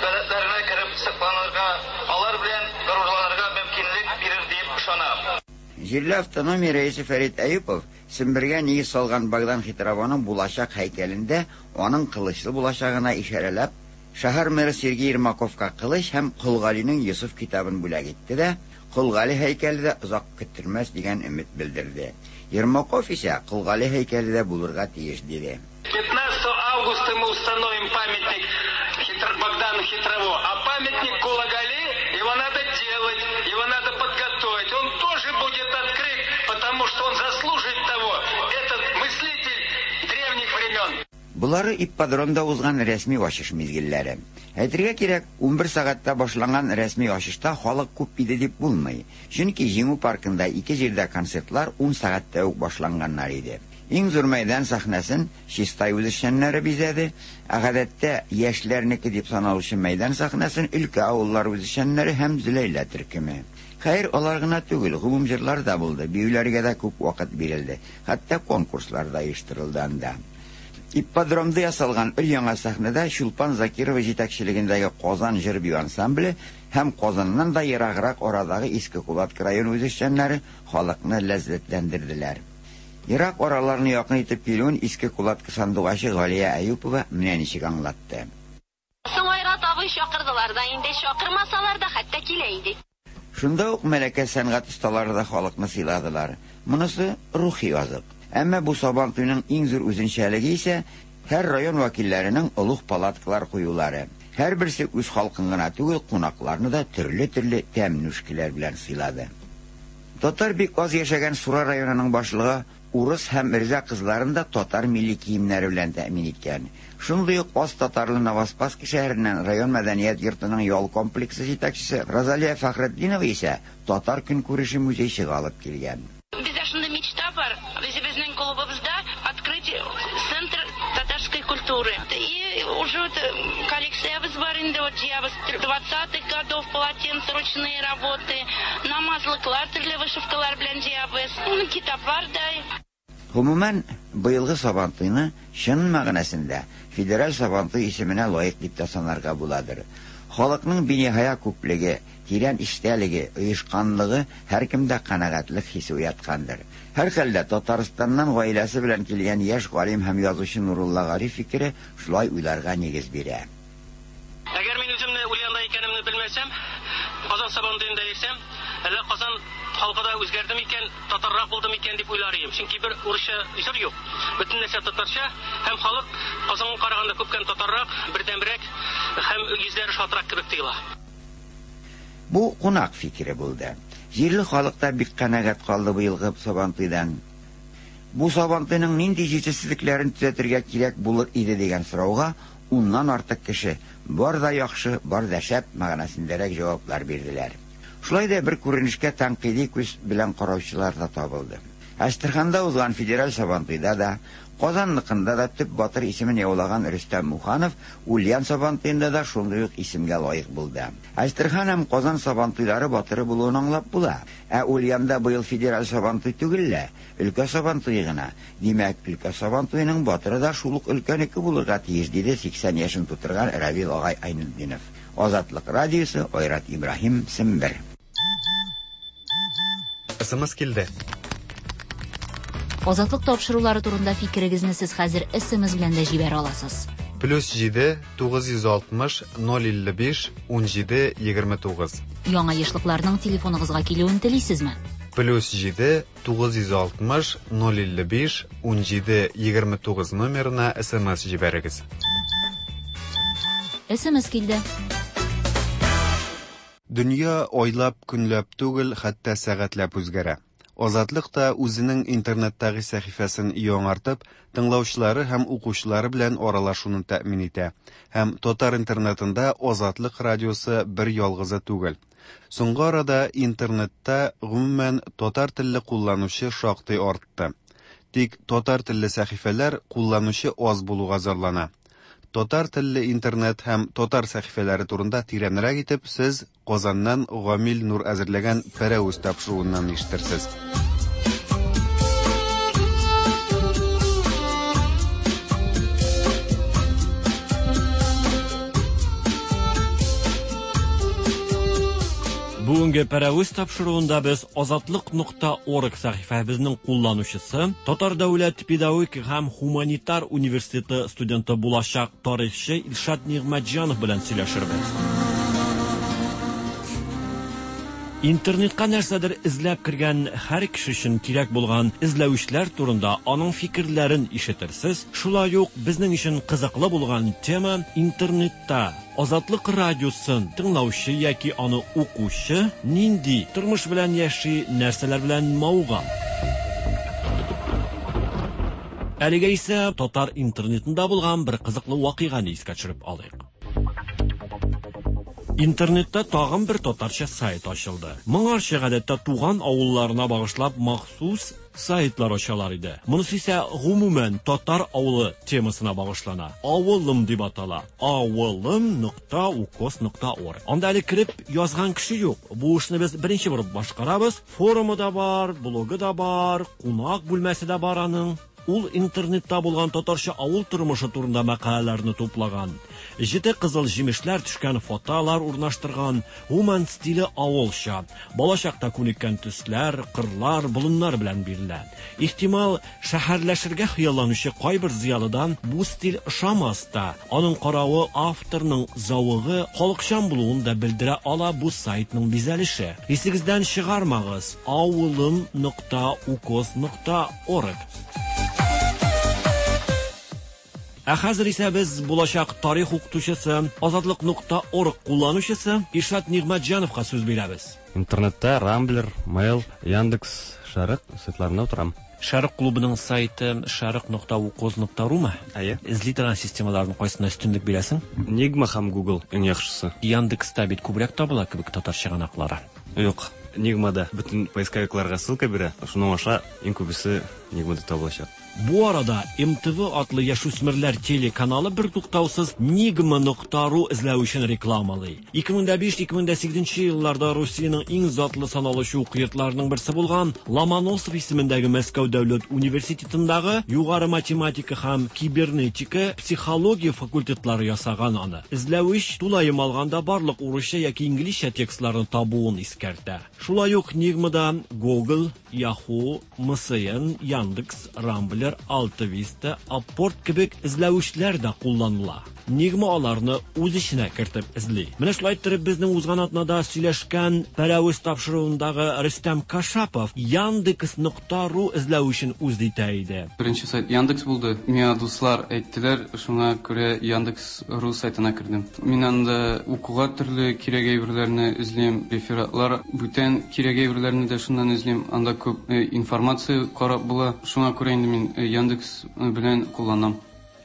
S33: гадәтләренә кереп сокланырга, алар белән горурланырга мөмкинлек бирер диеп ышанам.
S32: Җирле автономия рәисе Фәрит Әюпов Сембергә нигез салган Богдан Хитрованың булачак һәйкәлендә аның кылычлы булачагына ишарәләп, шәһәр мэры Сергей Ермаковка кылыч һәм Кол Галинең Йосыф китабын бүләк итте дә, Кол Гали һәйкәле дә озак көттермәс дигән өмет белдерде. Ермаков исә Кол Гали һәйкәле дә булырга тиеш диде.
S33: 15 августа мы установим памятник Богдану Хитрово, а памятник Кула Гали, его надо делать, его надо подготовить. Он тоже будет открыт, потому что он заслужит того, этот мыслитель древних времен.
S32: Болары ипподромда узган рәсми ачыш мизгелләре. Әйтергә кирәк, 11 сәгатьтә башланган рәсми ачышта халык күп иде дип булмый. Чөнки Җиңү паркында ике җирдә концертлар ун сәгатьтә үк башланганнар иде. Иң зур мәйдан сәхнәсен Чистай үзешчәннәре бизәде, ә гадәттә яшьләрнеке дип саналучы мәйдан сәхнәсен өлкә авыллары үзешчәннәре һәм Зөләйлә төркеме. Хәер, алар гына түгел, гомум җырлар да булды, биюләргә дә күп вакыт бирелде, хәтта конкурслар да оештырылды анда. Ипподромда ясалган өр-яңа сәхнәдә Чулпан Закирова җитәкчелегендәге Казан җыр-бию ансамбле һәм Казаннан да ераграк арадагы Иске Кулатка районы үзешчәннәре халыкны ләззәтләндерделәр. Ерак араларны якын итеп килүен Иске Кулатка сандугачы Галия Әюпова менә ничек аңлатты.
S2: Соң Айрат абый чакырдылар да инде, чакырмасалар да хәтта килә идек.
S32: Шунда ук Мәләкәс сәнгать осталары да халыкны сыйладылар. Монысы, рухи азык. Әмма бу Сабантуйның иң зур үзенчәлеге исә, һәр район вәкилләренең олуг палаткалар куюлары. Һәрберсе үз халкын гына түгел, кунакларны да төрле-төрле тәм-нүшкеләр белән сыйлады. Татар бик аз яшәгән Сура районының башлыгы Урыс һәм эрзә кызларын да татар милли киемнәре белән тәэмин иткән. Шундый ук аз татарлы Новоспасский шәһәреннән район мәдәният йортының ял комплексы җитәкчесе Розалия Фәхретдинова исә татар көнкүреше музейчыгы алып килгән.
S2: Бездә шундый мечта бар, үзебезнең клубыбызда открыть центр татарской культуры. И уже вот коллекциябез бар инде, вот җыябыз двадцатых годов полотенца, ручные работы, намазлыклар төрле вышивкалар белән җыябыз, китаплар да.
S32: Гомумән, быелгы Сабантуйны чын мәгънәсендә федераль Сабантуй исеменә лаек дип тә санарга буладыр. Халыкның биниһая күплеге, тирән эчтәлеге, оешканлыгы һәркемдә канәгатьлек хисе уяткандыр. Һәрхәлдә, Татарстаннан гаиләсе белән килгән яшь галим һәм язучы Нурулла Гариф фикере шулай уйларга нигез бирә.
S3: Әгәр мин үземне Ульянда икәнемне белмәсәм, Казан Сабантуенда йөрсәм, әллә Казан халкы да үзгәрде микән, татаррак булды микән дип уйлар идем. Чөнки бер урысча җыр юк. Бөтен нәрсә татарча һәм халык Казанга караганда күпкән татаррак, бердәмрәк һәм йөзләре шатрак кебек тоела.
S32: Бу кунак фикере булды. Җирле халык та бик канәгать калды быелгы Сабантуйдан. Бу Сабантуйның нинди җитешсезлекләрен төзәтергә кирәк булыр иде дигән сорауга уннан артык кеше бар да яхшы, бар да шәп мәгънәсендәрәк җаваплар бирделәр. Шулай да бер күренешкә тәнкыйди күз белән караучылар да табылды. Әстерханда узган федераль Сабантуйда да, Казанныкында да төп батыр исемен яулаган Рөстәм Муханов Ульян Сабантуенда да шундый ук исемгә лаек булды. Әстерхан һәм Казан Сабантуйлары батыры булуын аңлап була. Ә Ульянда быел федераль Сабантуй түгел лә, өлкә Сабантуе гына. Димәк, өлкә Сабантуеның батыры да шул ук өлкәнеке булырга тиеш, диде 80 яшен тутырган Равил агай Айнетдинов. Азатлык радиосы, Айрат Ибраһим, Сембер.
S1: СМС килде.
S10: Азатлык тапшырулары турында фикерегезне сез хәзер СМС белән дә җибәрә аласыз.
S1: Плюс 7 960 055 17 29.
S10: Яңа ешлыкларның телефоныгызга килүен телисезме?
S1: Плюс 7 960 055 17 29 номерына СМС җибәрегез.
S10: СМС килде.
S1: Дөнья айлап, көнләп түгел, хәтта сәгатьләп үзгәрә. Азатлык та үзенең интернеттагы сәхифәсен яңартып, тыңлаучылары һәм укучылары белән аралашуны тәэмин итә. Һәм татар интернетында Азатлык радиосы бер ялгызы түгел. Соңгы арада интернетта гомумән татар телле кулланучы шактый артты. Тик татар телле сәхифәләр кулланучы аз булуга зарлана. Татар телле интернет һәм татар сәхифәләре турында тирәнрәк итеп сез Казаннан Гамил Нур әзерләгән Пәрәвез тапшыруыннан ишетерсез.
S4: Бүгенге Пәрәвез тапшыруында без Азатлык нокта орг сәхифәбезнең кулланучысы, Татар дәүләт педагогика һәм һуманитар университеты студенты булачак тарихчы Илшат Нигъмәтҗанов белән сөйләшербез. Интернетка нәрсәдер эзләп кергән һәр кеше өчен кирәк булган эзләүчләр турында аның фикерләрен ишетерсез. Шулай ук безнең өчен кызыклы булган тема интернетта Азатлык радиосын тыңлаучы яки аны укучы нинди тормыш белән яши, нәрсәләр белән мавыга. Әлегә исә татар интернетында булган бер кызыклы вакыйганы искә төшереп алыйк. Интернетта тагын бер татарча сайт ачылды. Моңарчы гадәттә туган авылларына багышлап махсус сайтлар ачалар иде. Монысы исә гомумән татар авылы темасына багышлана. Авылым дип атала. Авылым нокта укос нокта орг. Анда әле кереп язган кеше юк. Бу эшне без беренче булып башкарабыз. Форумы да бар, блогы да бар, кунак бүлмәсе дә бар аның. Ул интернетта булган татарча авыл тормышы турында мәкаләләрне туплаган. Җете кызыл җимешләр төшкән фотолар урнаштырган, гомумән стиле авылча. Балачакта күнеккән төсләр, кырлар, болыннар белән бирелә. Ихтимал, шәһәрләшергә хыялланучы кайбер зыялыдан бу стиль ошамас та. Аның каравы авторның зәвыгы халыкчан булуын да белдерә ала бу сайтның бизәлеше. Исегездән чыгармагыз, авылым нокта укоз нокта орг. Ә хәзер исә без булачак тарих укытучысы, Азатлык нокта орг кулланучысы Илшат Нигъмәтҗановка сүз бирәбез.
S5: Интернетта Рамблер, Mail, Яндекс, Шәрык сайтларында утырам.
S4: Шәрык клубының сайты шәрык нокта укоз нокта румы?
S5: Әйе.
S4: Эзли торган системаларның кайсына өстенлек бирәсең?
S5: Нигма һәм Google иң яхшысы.
S4: Яндекста бит күбрәк табыла кебек татар чыганаклары.
S5: Юк, Нигмада бөтен поисковикларга ссылка бирә, шуның аша иң күбесе Нигмада табылачак.
S4: Бу арада МТВ атлы яшүсмерләр телеканалы бертуктаусыз Нигма нокта ру эзләвечен рекламалый. 2005-2008 елларда Русиянең иң затлы саналучы уку йортларының берсе булган Ломоносов исемендәге Мәскәү дәүләт университетындагы югары математика һәм кибернетика, психология факультетлары ясаган аны. Эзләвеч тулаем алганда барлык урысча яки инглизчә текстларны табуын искәртә. Шулай ук Нигмада Google, Yahoo, MSN, Яндекс, Рамблер, Алтависта, Апорт кебек эзләвечләр дә кулланыла. Нигма аларны үз эченә кертеп эзли. Менә шулай иттереп безнең узган атнада сөйләшкән Пәрәвез тапшыруындагы Рөстәм Кашапов Яндекс нокта ру эзләвечен үз итә иде.
S29: Беренче сайт Яндекс булды. Миңа дуслар әйттеләр, шуңа күрә Яндекс ру сайтына кердем. Мин анда укуга төрле кирәк әйберләрне эзлим, рефератлар, бүтән кирәк әйберләрне дә шуннан эзлим. Анда күп информация карап була. Шуңа күрә инде мин Яндекс белән кулланам.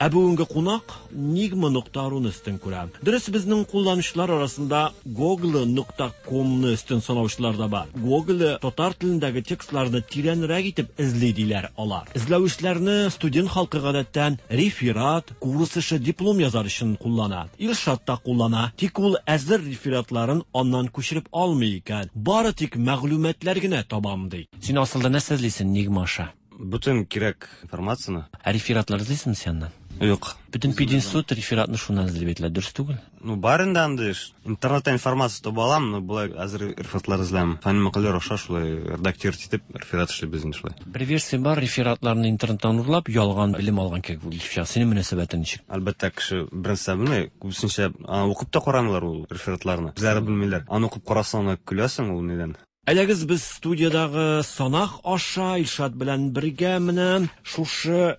S4: Ә бүгенге кунак Нигма нокта руны өстен күрә. Дөрес, безнең кулланучылар арасында Google нокта комны өстен санаучылар да бар. Google татар телендәге текстларны тирәнрәк итеп эзли диләр алар. Эзләүчеләрне студент халкы гадәттән реферат, курс эше, диплом язар өчен куллана. Илшат та куллана, тик ул әзер рефератларын аннан күчереп алмый икән. Бары тик мәгълүматлар генә табам ди. Син асылда нәрсә эзлисең Нигма аша?
S5: Бөтен кирәк информацияне.
S4: Ә рефератлар эзлисеңме син аннан?
S5: Юк.
S4: Бөтен пединститут рефератны шуннан эзли бит, дөрес түгел?
S5: Ну, бар инде андый эш. Интернетта информация таба алам, но болай әзер рефератлар эзләмим. Фәнни мәкаләләр аша шулай редактировать итеп реферат эшлибез инде шулай.
S4: Бер версия бар, рефератларны интернеттан урлап, ялган белем алган кебек булып чыга. Синең мөнәсәбәтең ничек?
S5: Әлбәттә, кеше беренче белми, күбесенчә аны укып та карамыйлар ул рефератларны. Үзләре белмиләр. Аны укып карасаң, аны көләсең ул нидән.
S4: Әйдәгез без студиядагы санак аша Илшат белән бергә менә шушы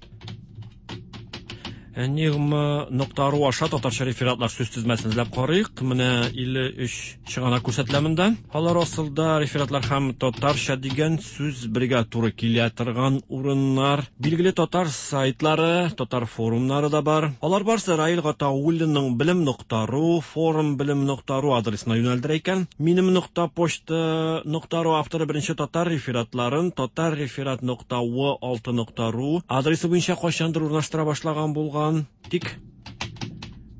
S4: Энигма нокта ру аша татарча рефератлар сүз тезмәсен эзләп карыйк. Менә 53 чыганак күрсәтелә монда. Алар асылда рефератлар һәм татарча дигән сүз бергә туры килә торган урыннар. Билгеле татар сайтлары, татар форумнары да бар. Алар барсы Раил Гатауллинның белем нокта ру, форум белем нокта ру адресына юнәлдерә икән. Минем нокта почта нокта ру авторы беренче татар рефератларын татар реферат нокта в алты нокта ру адресы буенча кайчандыр урнаштыра башлаган булган. Тик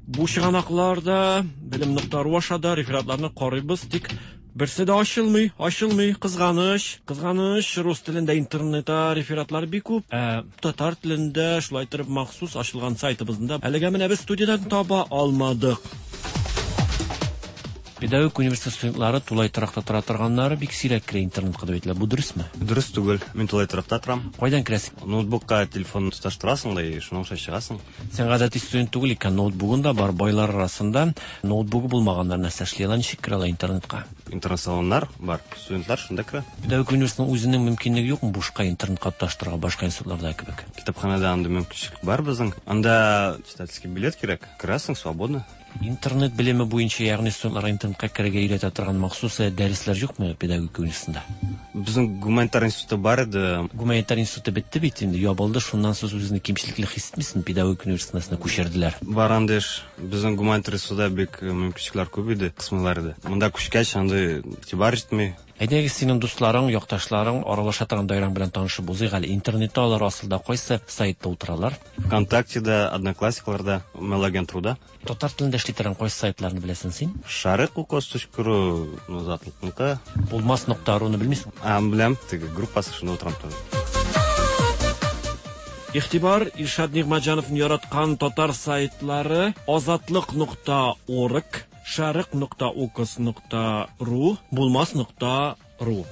S4: бу чыганакларда белем нокта ру аша да рефератларны карыйбыз, тик берсе дә ачылмый, ачылмый, кызганыч, кызганыч, рус телендә интернетта рефератлар бик күп, ә татар телендә шулай итеп махсус ачылган сайтыбызда әлегә менә без студиядан таба алмадык. Педагогик университет студентлары тулай торакта тора торганнары бик сирәк керә интернетка дип әйтелә. Бу дөресме?
S5: Дөрес түгел. Мин тулай торакта торам.
S4: Кайдан керәсең?
S5: Ноутбукка телефон тоташтырасың да, и шуның аша чыгасың.
S4: Син гадәти студент түгел икән, ноутбугың да бар. Байлар арасында ноутбугы булмаганнар нәрсә эшли ала, ничек керә ала интернетка?
S5: Интернет-салоннар бар. Студентлар шунда керә.
S4: Педагогик университетның үзенең мөмкинлеге юкмы бушка интернетка тоташтырырга башка институтларда кебек?
S5: Китапханәдә андый мөмкинчелек бар безнең. Анда читательский билет кирәк. Керәсең свободно.
S4: Интернет белеме буенча, ягъни студентларга интернетка керергә өйрәтә торган махсус дәресләр юкмы педагогика университетында?
S5: Безнең гуманитар институты бар иде.
S4: Гуманитар институты бетте бит инде, ябылды. Шуннан соң үзеңне кимчелекле хис итмисеңме? Педагогика университетына күчерделәр.
S5: Бар андый эш. Безнең гуманитар институтта бик мөмкинчелекләр күп иде, кысмыйлар иде. Монда күчкәч, андый игътибар җитми.
S4: Әйдәгез, синең дусларың, якташларың, аралаша торган даирәң белән танышып узыйк әле. Интернетта алар асылда кайсы сайтта утыралар?
S5: ВКонтактеда, Одноклассикларда, Мелагентруда.
S4: Татар телендә эшли торган кайсы сайтларны беләсең син?
S5: Шарык укос точка ру, ну, затлыкныкы.
S4: Булмас нокта руны белмисең?
S5: А, беләм, теге группасы шунда утырам тоже.
S4: Игътибар, Илшат Нигъмәтҗановны яраткан татар сайтлары азатлык нокта орг, шәрык нокта укс нокта ру, булмас нокта ру.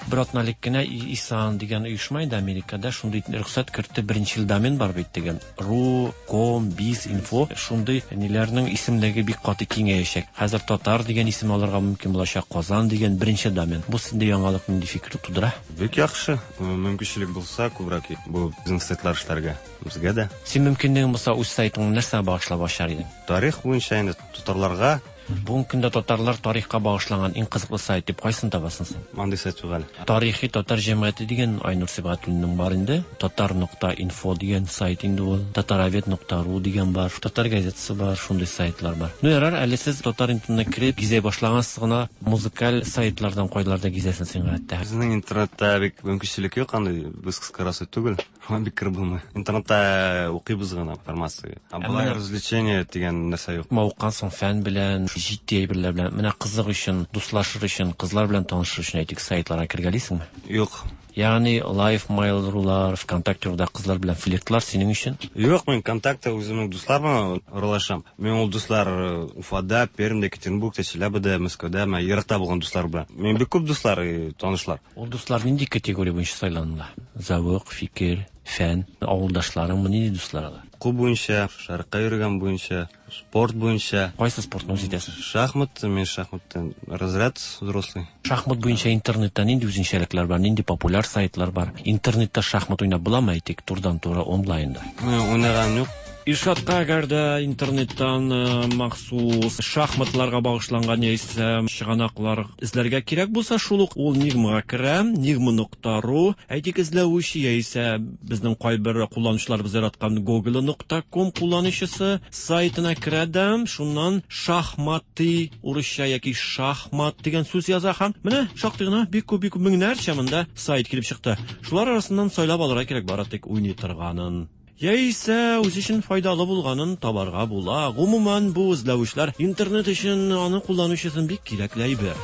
S4: Бер атналык кенә ИСАН дигән оешма инде Америкада шундый рөхсәт кертте, беренчел домен бар бит дигән. Ру, ком, биз, инфо шундый ниләрнең исемлеге бик каты киңәячәк. Хәзер татар дигән исем алырга мөмкин булачак, Казан дигән беренче домен. Бу синдә яңалык нинди фикер тудыра?
S5: Бик яхшы. Мөмкинчелек булса, күбрәк бу безнең сайтлар эшләргә. Безгә дә.
S4: Син мөмкинлегең булса, үз сайтыңны нәрсәгә багышлап ачар идең?
S5: Тарих буенча инде татарларга.
S4: Бүгенге көндә татарлар тарихка багышланган иң кызыклы сайт дип кайсын табасың син?
S5: Андый сайт юк әле.
S4: Тарихи татар җәмгыяте дигән Айнур Сибгатуллинның бар инде. Татар нокта инфо дигән сайт инде ул. Татаровед нокта ру дигән бар. Татар газетасы бар, шундый сайтлар бар. Ну ярар, әле сез татар интернетына кереп гизә башлагансыз гына, музыкаль сайтлардан кайларда гизәсең син гадәттә?
S5: Безнең интернетта бик мөмкинчелек юк андый, без кыскарасы түгел. Шуңа бик кереп булмый. Интернетта укыйбыз гына информация. Ә болай развлечение дигән нәрсә юк.
S4: Мавыккансың фән белән, җитди әйберләр белән. Менә кызык өчен, дуслашыр өчен, кызлар белән танышыр өчен әйтик, сайтларга кергәлисеңме?
S5: Юк.
S4: Ягъни Live Mail.ru-лар, ВКонтакте.руда кызлар белән флиртлар синең өчен?
S5: Юк, мин ВКонтакте үземнең дуслар белән аралашам. Мин ул дуслар Уфада, Пермьдә, Екатеринбургта, Челябида, Мәскәүдә, менә еракта булган дуслар белән. Мин бик күп дуслар, танышлар.
S4: Ул дуслар нинди категория буенча сайланыла? Зәвык, фикер, фән, авылдашларыңмы, нинди дуслар алар?
S5: Уку буенча, шәрыкка йөргән буенча, спорт буенча.
S4: Кайсы спортны үз итәсең?
S5: Шахмат, мин шахматтан разряд взрослый.
S4: Шахмат буенча интернетта нинди үзенчәлекләр бар, нинди популяр сайтлар бар? Интернетта шахмат уйнап буламы, әйтик, турыдан-туры онлайнда?
S5: Мин уйнаганым юк.
S4: Илшатка әгәр дә интернеттан махсус шахматларга багышланган яисә чыганаклар эзләргә кирәк булса, шул ук ул Нигмага керә, нигма нокта ру, әйтик, эзләүче яисә безнең кайбер кулланучыларыбыз яраткан Google нокта ком кулланучысы сайтына керә дә, шуннан шахматы урысча яки шахмат дигән сүз яза һәм менә шактый гына бик күп, бик күп меңнәрчә монда сайт килеп чыкты. Шулар арасыннан сайлап алырга кирәк бары тик уйный торганын. Яисә үз өчен файдалы булганын табарга була. Гомумән, бу эзләүчләр интернет өчен аны кулланучы өчен бик кирәкле әйбер.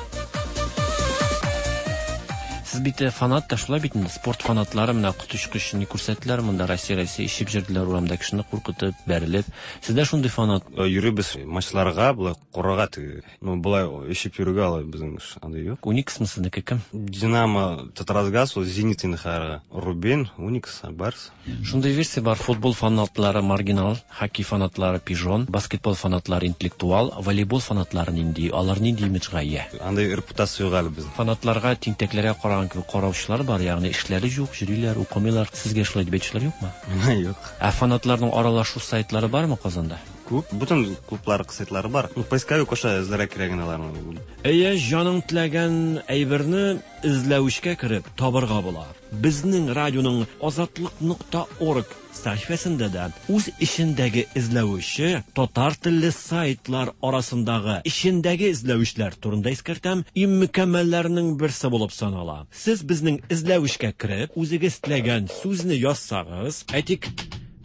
S4: Сез бит фанат та шулай бит инде, спорт фанатлары менә коточкыч ни күрсәттеләр монда, Россия, Россия ишеп җөрделәр урамда кешене куркытып, бәрелеп. Сездә шундый фанат?
S5: Йөрибез матчларга, болай карарга теге. Ну, болай ишеп йөрүгә алай безнең эш андый юк.
S4: Униксмы сезнеке кем?
S5: Динамо, Татарасгаз, ул Зенит инде хәзергә. Рубин, Уникс, Барс.
S4: Шундый версия бар, футбол фанатлары маргинал, хоккей фанатлары пижон, баскетбол фанатлары интеллектуал, волейбол фанатлары нинди, алар нинди имиджга ия?
S5: Андый репутация юк әле безнең.
S4: Фанатларга тинтәкләргә караган кебек караучылар бар, ягъни эшләре юк, йөриләр, укымыйлар. Сезгә шулай дип әйтүчеләр юкмы?
S5: Миңа юк.
S4: Ә фанатларның аралашу сайтлары бармы Казанда?
S5: Күп, бөтен клублар сайтлары бар. Ну, поисковик аша эзләргә кирәк инде аларны.
S4: Әйе, җаның теләгән әйберне эзләүчкә кереп табырга була. Безнең радионың азатлык нокта орг сәхифәсендә дә үз эчендәге эзләүче татар телле сайтлар арасындагы эчендәге эзләүчләр турында искәртәм, иң мөкәммәлләрнең берсе булып санала. Сез безнең эзләүчкә кереп, үзегез теләгән сүзне язсагыз, әйтик,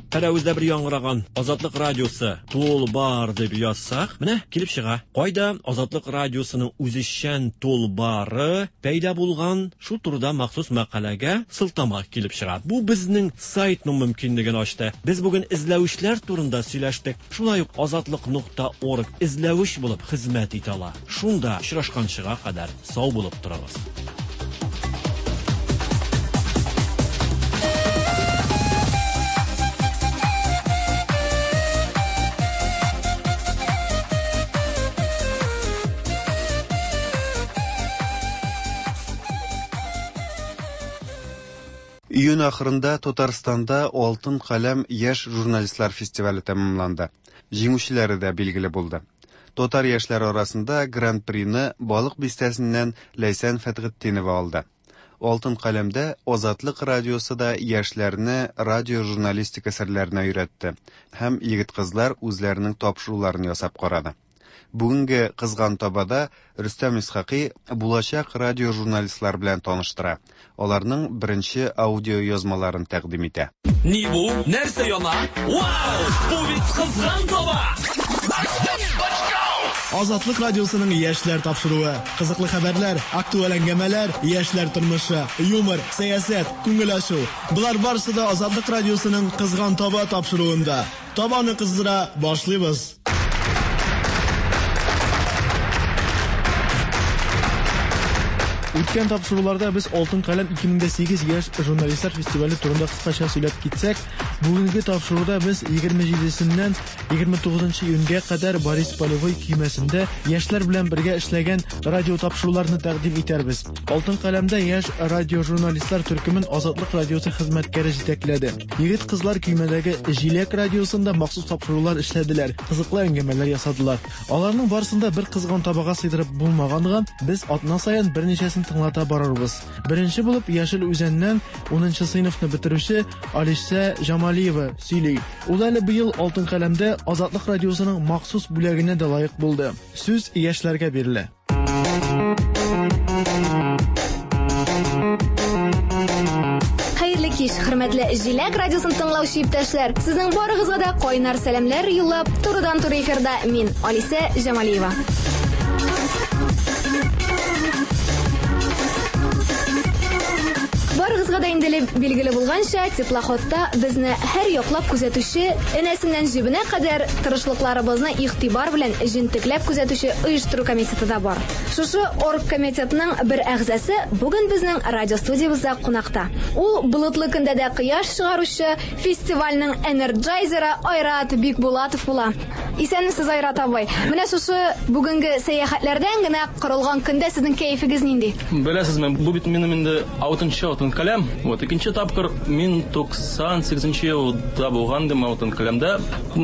S4: Пәрәвездә бер яңгыраган Азатлык радиосы тулбар дип язсак, менә килеп чыга. Кайда Азатлык радиосының үзешчән тулбары пәйда булган, шул турыда махсус мәкаләгә сылтама килеп чыга. Бу безнең сайтның мөмкинлеген ачты. Без бүген эзләүчләр турында сөйләштек. Шулай ук азатлык нокта орг эзләүч булып хезмәт итә ала. Шунда очрашканчыга кадәр сау булып торыгыз.
S1: Июнь ахырында Татарстанда Алтын каләм яшь журналистлар фестивале тәмамланды. Җиңүчеләре дә билгеле булды. Татар яшьләре арасында Гран-прины Балык бистәсеннән Ләйсән Фәтхетдинова алды. Алтын каләмдә Азатлык радиосы да яшьләрне радиожурналистика серләренә өйрәтте һәм егет-кызлар үзләренең тапшыруларын ясап карады. Бүгенге кызган табада Рөстәм Исхакый булачак радиожурналистлар белән таныштыра. Аларның беренче аудио язмаларын тәкъдим итә.
S7: Ни бу? Нәрсә яна? Вау! Бу бит кызган таба! Let's go! Азатлык радиосының яшьләр тапшыруы. Кызыклы хәбәрләр, актуаль әңгәмәләр, яшьләр тормышы, юмор, сәясәт, күңел ачу. Болар барысы да Азатлык радиосының Кызган таба тапшыруында. Табаны кыздыра башлыйбыз.
S8: Үткән тапшыруларда без Алтын каләм 2008 яшь журналистлар фестивале турында кыскача сөйләп китсәк, бүгенге тапшыруда без 27-сеннән 29 июньгә кадәр Борис Полевой көймәсендә яшьләр белән бергә эшләгән радио тапшыруларны тәкъдим итәрбез. Алтын каләмдә яшь радиожурналистлар төркемен Азатлык радиосы хезмәткәре җитәкләде. Егет-кызлар көймәдәге Җиләк радиосында махсус тапшырулар эшләделәр, кызыклы әңгәмәләр ясадылар. Аларның барысын да бер кызган табага сыйдырып булмаганга, без атна саен берничәсен тыңлата барырбыз. Беренче булып Яшел Үзәннән 10 сыйныфны бетерүче Алисә Җамалиева сөйли. Ул әле быел Алтын каләмдә Азатлык радиосының махсус бүләгенә дә лаек булды. Сүз яшьләргә бирелә.
S11: Хәерле кич, хөрмәтле Җиләк радиосын тыңлаучы иптәшләр. Сезнең барыгызга да кайнар сәламнәр юллап, турыдан-туры эфирда мин, Алисә Җамалиева. Барыгызга да инде билгеле булганча, теплоходта безне һәр яклап күзәтүче, энәсеннән җебенә кадәр тырышлыкларыбызны игътибар белән җентекләп күзәтүче оештыру комитеты да бар. Шушы оргкомитетның бер әгъзасы бүген безнең радиостудиябездә кунакта. Ул болытлы көндә дә кояш чыгаручы фестивальнең энерджайзеры Айрат Бикбулатов була. Исәнмесез, Айрат абый. Менә шушы бүгенге сәяхәтләрдән генә корылган көндә сезнең кәефегез нинди?
S12: Беләсезме, бу бит минем инде алтынчы алтын каләм. Вот икенче тапкыр мин 98 елда булган идем алтын каләмдә.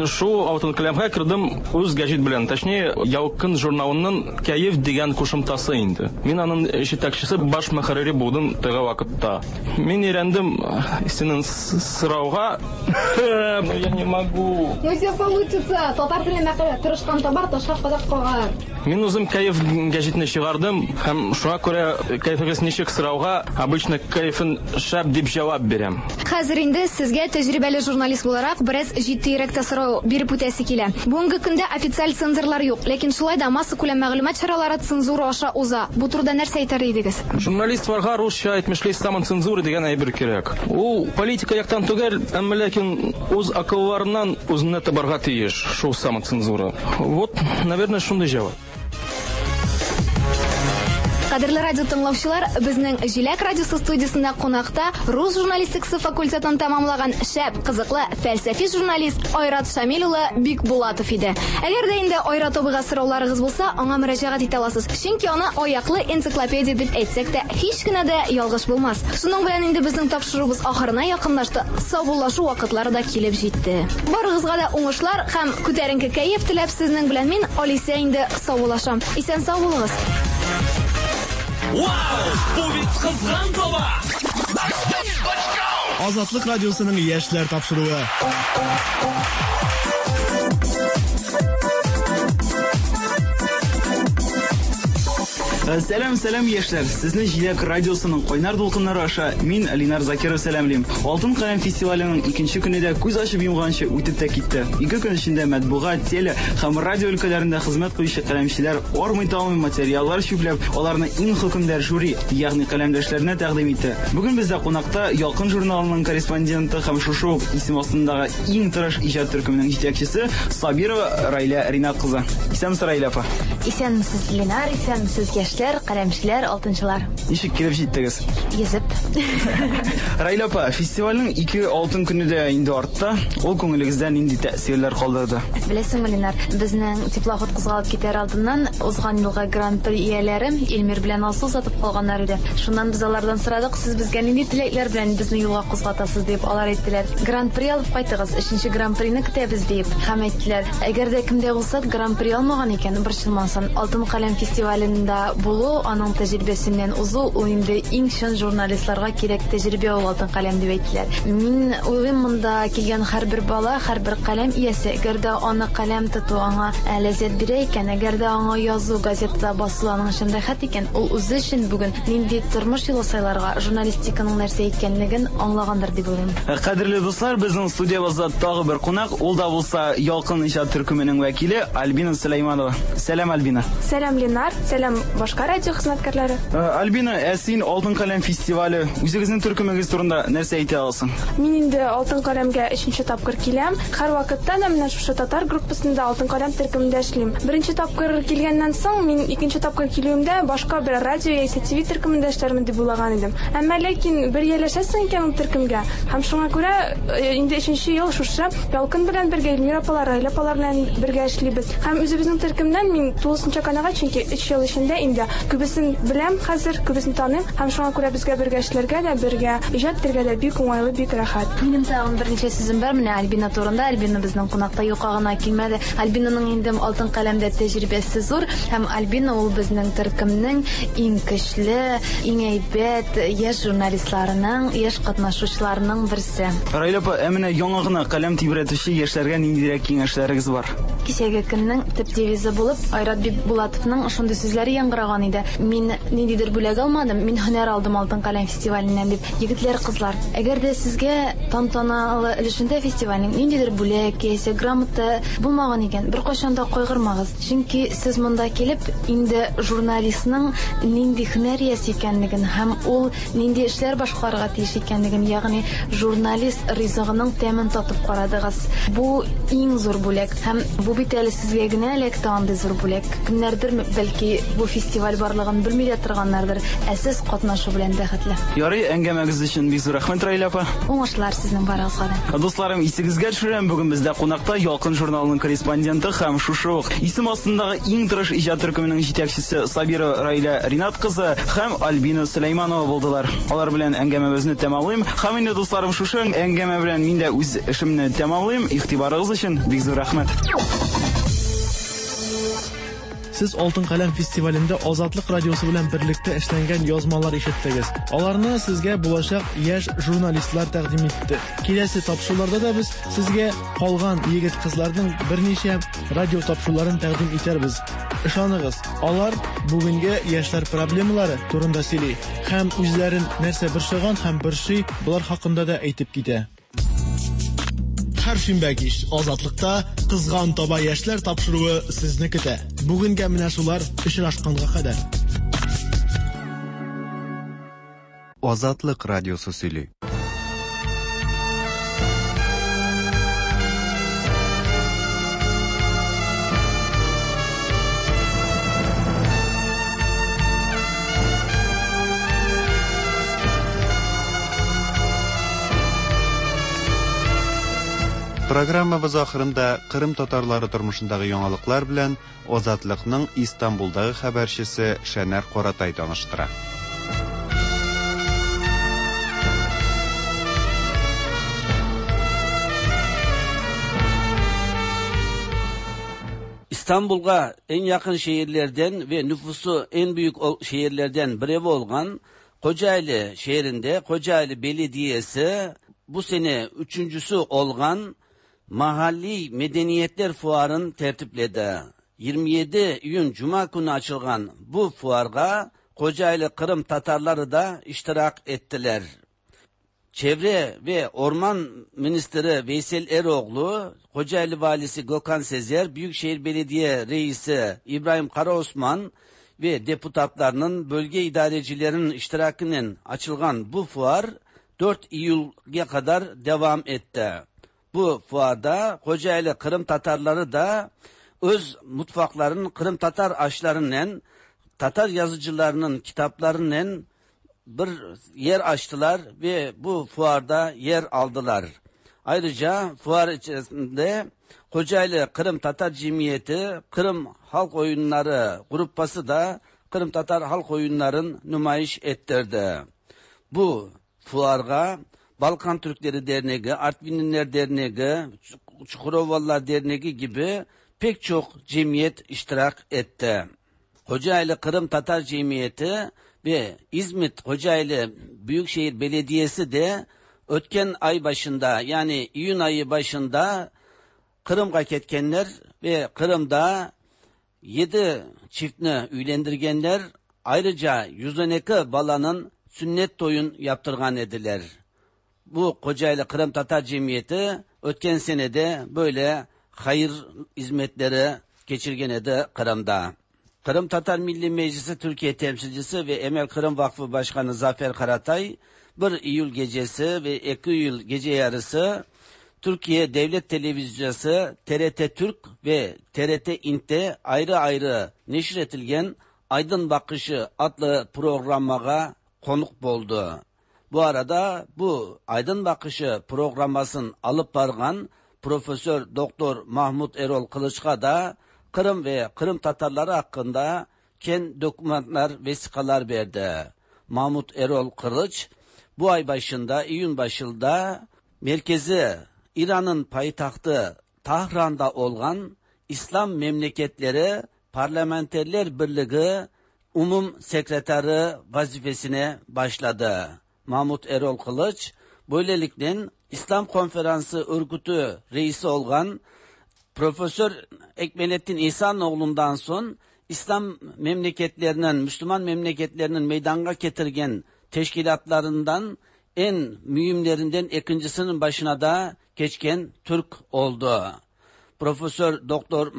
S12: Шул алтын каләмгә кердем үз гәҗит белән, точнее, Ялкын журналының Кәеф дигән кушымтасы инде. Мин аның җитәкчесе, баш мөхәррире булдым теге вакытта. Мин өйрәндем синең сорауга. Но я не могу.
S11: Ну все получится. Татар теле мәкале, тырышкан табар, ташка кадак кагар.
S12: Мин үзем Кәеф гәҗитне чыгардым һәм шуңа күрә кәефегез ничек сорауга обычно кәефен шәп дип җавап бирәм.
S11: Хәзер инде сезгә тәҗрибәле журналист буларак бераз җитдиерәк тә сорау биреп үтәсе килә. Бүгенге көндә официаль цензорлар юк, ләкин шулай да массакүләм мәгълүмат чаралары цензура аша уза. Бу турыда нәрсә әйтер идегез?
S12: Журналистларга русча әйтмешли самоцензура дигән әйбер кирәк. Ул политика яктан түгел, әмма ләкин үз акылларыннан үзенә табарга тиеш шул самоцензура. Вот, наверное, шундый җавап.
S11: Кадерле радио тыңлаучылар, безнең Җиләк радиосы студиясендә кунакта рус журналистикасы факультетын тәмамлаган шәп, кызыклы, фәлсәфи журналист Айрат Шамил улы Бикбулатов иде. Әгәр дә инде Айрат абыйга сорауларыгыз булса, аңа мөрәҗәгать итә аласыз. Чөнки аны аяклы энциклопедия дип әйтсәк тә, һич кенә дә ялгыш булмас. Шуның белән инде безнең тапшыруыбыз ахырына якынлашты. Саубуллашу вакытлары да килеп җитте. Барыгызга да уңышлар һәм күтәренке кәеф теләп сезнең белән мин, Алисә инде саубуллашам. Исән-сау булыгыз.
S13: Вау! Бу бит кызган таба!
S7: Азатлык радиосының яшьләр тапшыруы.
S14: Сәлам, сәлам, яшьләр! Сезне Җиләк радиосының кайнар дулкыннары аша мин, Линар Закиров сәламлим. Алтын каләм фестиваленең икенче көне дә күз ачып йомганчы үтеп тә китте. Ике көн эчендә матбугат, теле һәм радио өлкәләрендә хезмәт куючы каләмчеләр армый-талмый материаллар чүпләп, аларны иң хөкемдар жюри, ягъни каләмдәшләренә тәкъдим итте. Бүген бездә кунакта Ялкын журналының корреспонденты һәм шушы ук исем астындагы иң тырыш иҗат төркеменең җитәкчесе Сабирова Райлә Ринат кызы. Исәнмесез, Райлә апа.
S15: Исәнмесез, Ленар, исәнмесез, яшьләр, каләмчеләр, алтынчылар.
S14: Ничек килеп җиттегез?
S15: Йөзеп.
S14: Райлә апа, фестивальнең ике алтын көне дә инде артта. Ул күңелегездә нинди тәэсирләр калдырды?
S15: Беләсеңме, Ленар, безнең теплоход кузгалып китәр алдыннан узган елгы гран-при ияләре Эльмир белән Алсу сатып калганнар иде. Шуннан без алардан сорадык, сез безгә нинди теләкләр белән безне юлга кузгатасыз дип, алар әйттеләр, гран-при алып кайтыгыз, өченче гран-прины көтәбез диеп. Һәм әйттеләр, әгәр дә кем дә булса гран-при алмаган икән, борчылмасын. Алтын каләм фестивалендә булу, аның тәҗрибәсеннән узу, ул инде иң чын журналистларга кирәк тәҗрибә ул Алтын каләм дип әйттеләр. Мин уйлыйм, монда килгән һәрбер бала, һәрбер каләм иясе, әгәр дә аны каләм тоту аңа ләззәт бирә икән, әгәр дә аңа язу, газетада басылу аның өчен рәхәт икән, ул үзе өчен бүген нинди тормыш юлы сайларга, журналистиканың нәрсә икәнлеген аңлагандыр дип уйлыйм.
S14: Кадерле дуслар, безнең студиябызда тагы бер кунак, ул да булса Ялкын иҗат төркеменең вәкиле Альбина Сөләйманова. Сәлам, Альбина.
S6: Сәлам, Ленар. Сәлам, башка радио хезмәткәрләре.
S14: Альбина, ә син Алтын каләм фестивале, үзегезнең төркемегез турында нәрсә әйтә аласың?
S6: Мин инде Алтын каләмгә өченче тапкыр киләм. Һәрвакытта да менә шушы татар группасында Алтын каләм төркемендә эшлим. Беренче тапкыр килгәннән соң, мин икенче тапкыр килүемдә башка бер радио яисә ТВ төркемендә эшләрмен дип уйлаган идем. Әмма ләкин бер ияләшәсең икән ул төркемгә, һәм шуңа күрә э, инде өченче ел шушы Ялкын белән бергә, Эльмира апалар, Раилә апалар белән бергә эшлибез. Һәм үзебезнең төркемнән мин тулысынча канәгать, чөнки өч ел эчендә инде күбесен беләм хәзер, күбесен таныйм һәм шуңа күрә безгә бергә эшләргә дә, бергә иҗат итәргә дә бик уңайлы, бик рәхәт.
S15: Минем тагын берничә сүзем бар менә Альбина турында. Альбина безнең кунакта юкка гына килмәде. Альбинаның инде Алтын каләмдә тәҗрибәсе зур һәм Альбина ул безнең төркемнең иң көчле, иң әйбәт яшь журналистларының, яшь катнашучыларының берсе.
S14: Раилә апа, ә менә яңа гына каләм тибрәтүче яшьләргә ниндирәк киңәшләрегез бар?
S15: Кичәге көннең төп девизы булып Айрат Бикбулатовның шундый сүзләре яңгыраган иде. Мин ниндидер бүләк алмадым, мин һөнәр алдым Алтын каләм фестиваленнән дип. Егетләр, кызлар, әгәр дә сезгә тантаналы өлешендә фестивальнең ниндидер бүләк яисә грамота булмаган икән, беркайчан да кайгырмагыз. Чөнки сез монда килеп, инде журналистның нинди һөнәр иясе икәнлеген һәм ул нинди эшләр башкарырга тиеш икәнлеген, ягъни журналист ризыгының тәмен татып карадыгыз. Бу иң зур бүләк. Һәм бу бит әле сезгә генә эләкте андый зур бүләк. Кемнәрдер, бәлки, бу фестиваль барлыгын белми дә торганнардыр, ә сез катнашу белән бәхетле.
S14: Ярый, әңгәмәгез өчен бик зур рәхмәт, Раилә апа.
S15: Уңышлар сезнең барыгызга да.
S14: Дусларым, исегезгә төшерәм, бүген бездә кунакта Ялкын журналының корреспонденты һәм шушы ук исем астындагы иң тырыш иҗат төркеменең җитәкчесе Сабирова Раилә Ринат кызы һәм Альбина Сөләйманова булдылар. Алар белән әңгәмәбезне тәмамлыйм. Һәм инде, дусларым, шушы әңгәмә белән мин дә үз эшемне тәмамлыйм. Игътибарыгыз өчен бик зур рәхмәт.
S8: Сез Алтын каләм фестивалендә Азатлык радиосы белән берлектә эшләнгән язмалар ишеттегез. Аларны сезгә булачак яшь журналистлар тәкъдим итте. Киләсе тапшыруларда да без сезгә калган егет-кызларның берничә радио тапшыруларын тәкъдим итәрбез. Ышаныгыз, алар бүгенге яшьләр проблемалары турында сөйли һәм үзләрен нәрсә борчыган һәм борчый, болар хакында да әйтеп китә. Һәр шимбә кич Азатлыкта Кызган таба яшьләр тапшыруы сезне көтә. Бүгенгә менә шулар, очрашканга кадәр.
S1: Азатлык радиосы сөйли. Программабыз ахырында Кырым татарлары тормышындагы яңалыклар белән Азатлыкның Истанбулдагы хәбәрчесе Шәнәр Каратай таныштыра.
S31: İstanbul'a en yakın şehirlerden ve nüfusu en büyük şehirlerden biri olan Kocaeli şehrinde Kocaeli Belediyesi bu sene üçüncüsü olan Mahalli Medeniyetler Fuarı'nı tertipledi. 27 iyun Cuma günü açılgan bu fuarga Kocaeli Kırım Tatarları da iştirak ettiler. Çevre ve Orman Ministri Veysel Eroğlu, Kocaeli Valisi Gökhan Sezer, Büyükşehir Belediye Reisi İbrahim Karaosman ve deputatlarının bölge idarecilerinin iştirakinin açılgan bu fuar 4 Eylül'e kadar devam etti. Bu fuarda Kocaeli Kırım Tatarları da öz mutfaklarının Kırım Tatar aşlarının Tatar yazıcılarının kitaplarının bir yer açtılar ve bu fuarda yer aldılar. Ayrıca fuar içerisinde Kocaeli Kırım Tatar Cemiyeti, Kırım Halk Oyunları grupası da Kırım Tatar Halk Oyunları'nı nümayiş ettirdi. Bu fuarga Balkan Türkleri Derneği, Artvinliler Derneği, Çukurovalılar Derneği gibi pek çok cemiyet iştirak etti. Kocaeli Kırım Tatar Cemiyeti ve İzmit Kocaeli Büyükşehir Belediyesi de ötken ay başında, yani iyun ayı başında Kırım'a ketkenler ve Kırım'da 7 çiftini üylendirgenler, ayrıca 112 balanın sünnet toyun yaptırgan ediler. Bu Kocaeli Kırım Tatar Cemiyeti ötken senede böyle hayır hizmetleri geçirgen edi Kırım'da. Kırım Tatar Milli Meclisi Türkiye temsilcisi ve Emel Kırım Vakfı Başkanı Zafer Karatay 1 Eylül gecesi ve 2 Eylül gece yarısı Türkiye Devlet Televizyonu TRT Türk ve TRT İnt'te ayrı ayrı neşretilgen Aydın Bakışı adlı programağa konuk boldu. Bu arada bu Aydın Bakışı programmasını alıp bargan Profesör Doktor Mahmut Erol Kılıç'a da Kırım ve Kırım Tatarları hakkında ken dokümanlar, vesikalar verdi. Mahmut Erol Kılıç bu ay başında, iyun başında merkezi İran'ın payitahtı Tahran'da olan İslam Memleketleri Parlamenterler Birliği Umum Sekreteri vazifesine başladı. Mahmut Erol Kılıç böylelikle İslam Konferansı Örgütü reisi olan Profesör Ekmelettin İhsanoğlu'ndan son İslam memleketlerinin, Müslüman memleketlerinin meydana getirgen teşkilatlarından en mühimlerinden ikincisinin başına da geçken Türk oldu. Profesör Doktor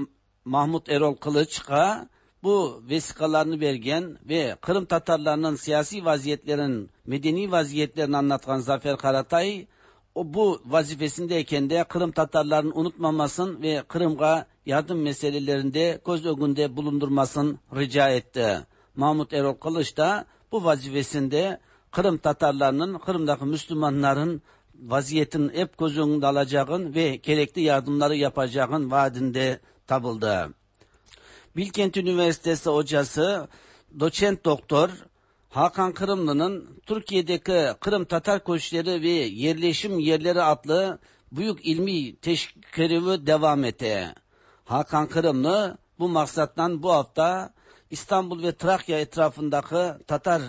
S31: Mahmut Erol Kılıç'a bu vesikalarını vergen ve Kırım Tatarlarının siyasi vaziyetlerin, medeni vaziyetlerini anlatan Zafer Karatay, o bu vazifesindeyken de Kırım Tatarlarının unutmamasın ve Kırım'a yardım meselelerinde göz önünde bulundurmasın rica etti. Mahmut Erol Kılıç da bu vazifesinde Kırım Tatarlarının, Kırım'daki Müslümanların vaziyetin hep göz önünde alacağın ve gerekli yardımları yapacağın vaadinde tabıldı. Bilkent Üniversitesi hocası doçent doktor Hakan Kırımlı'nın Türkiye'deki Kırım Tatar Köşkleri ve Yerleşim Yerleri adlı büyük ilmi teşkilatı devam etti. Hakan Kırımlı bu maksattan bu hafta İstanbul ve Trakya etrafındaki Tatar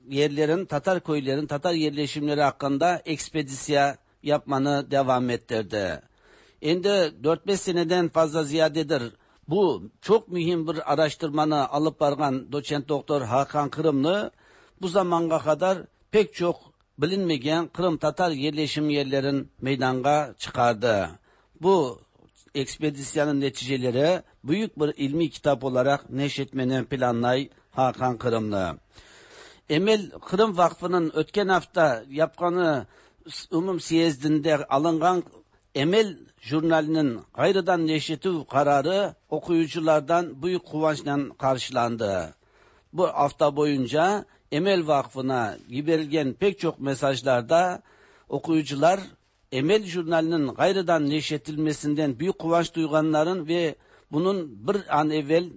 S31: yerlerin, Tatar köylerin, Tatar yerleşimleri hakkında ekspedisiya yapmanı devam ettirdi. Şimdi 4-5 seneden fazla ziyadedir bu çok mühim bir araştırmanı alıp bargan doçent doktor Hakan Kırımlı bu zamana kadar pek çok bilinmeyen Kırım Tatar yerleşim yerlerin meydana çıkardı. Bu ekspedisyanın neticeleri büyük bir ilmi kitap olarak neşretmeni planlay Hakan Kırımlı. Emel Kırım Vakfı'nın ötken hafta yapqanı umum siyezdinde alıngan Emel jurnalinin gayrıdan neşretüv kararı okuyuculardan büyük kıvançla karşılandı. Bu hafta boyunca Emel Vakfı'na giberilgen pek çok mesajlarda okuyucular Emel jurnalinin gayrıdan neşretilmesinden büyük kıvanç duyganların ve bunun bir an evvel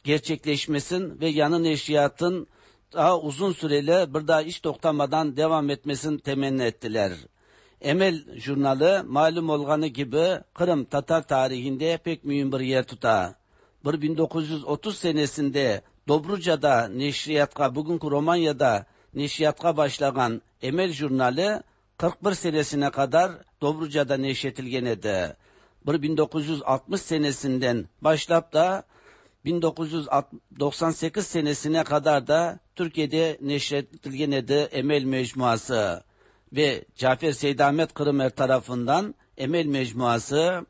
S31: gerçekleşmesin ve yanı neşriyatın daha uzun süreli bir daha hiç toktamadan devam etmesini temenni ettiler. Emel jurnalı malum olganı gibi Kırım Tatar tarihinde pek mühim bir yer tutar. 1930 senesinde Dobruca'da neşriyatka, bugünkü Romanya'da neşriyatka başlayan Emel jurnalı 41 senesine kadar Dobruca'da neşretilgen edi. 1960 senesinden başlap da 1998 senesine kadar da Türkiye'de neşretilgen edi Emel Mecmuası ve Cafer Seydahmet Kırımer tarafından Emel Mecmuası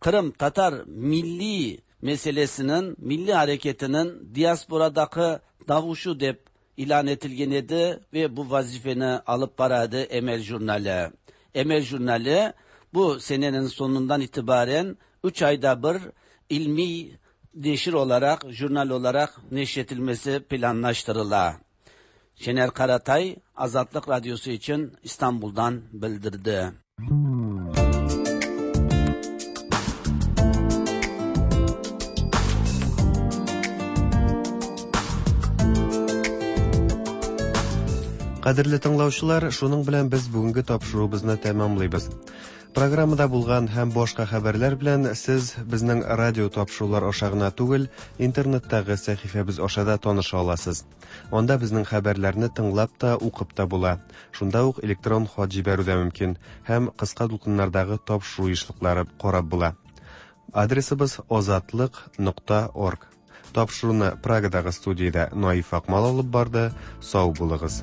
S31: Kırım Tatar milli meselesinin, milli hareketinin diasporadaki davuşu dep ilan etilgen edi ve bu vazifeni alıp baradı Emel Jurnali. Emel Jurnali bu senenin sonundan itibaren 3 ayda bir ilmi neşir olarak, jurnal olarak neşretilmesi planlaştırıla. Şener Karatay, Azatlık Radyosu için İstanbul'dan bildirdi.
S1: Кадерле тыңлаучылар, шуның белән без бүгенге тапшыруыбызны тәмамлыйбыз. Программада булган һәм башка хәбәрләр белән сез безнең радио тапшырулар аша гына түгел, интернеттагы сәхифәбез аша да таныша аласыз. Анда безнең хәбәрләрне тыңлап та, укып та була. Шунда ук электрон хат җибәрү дә мөмкин һәм кыска дулкыннардагы тапшыру ешлыклары карап була. Адресыбыз озатлык нокта орг. Тапшыруны Прагадагы студиядә Наиф Акмал алып барды. Сау булыгыз.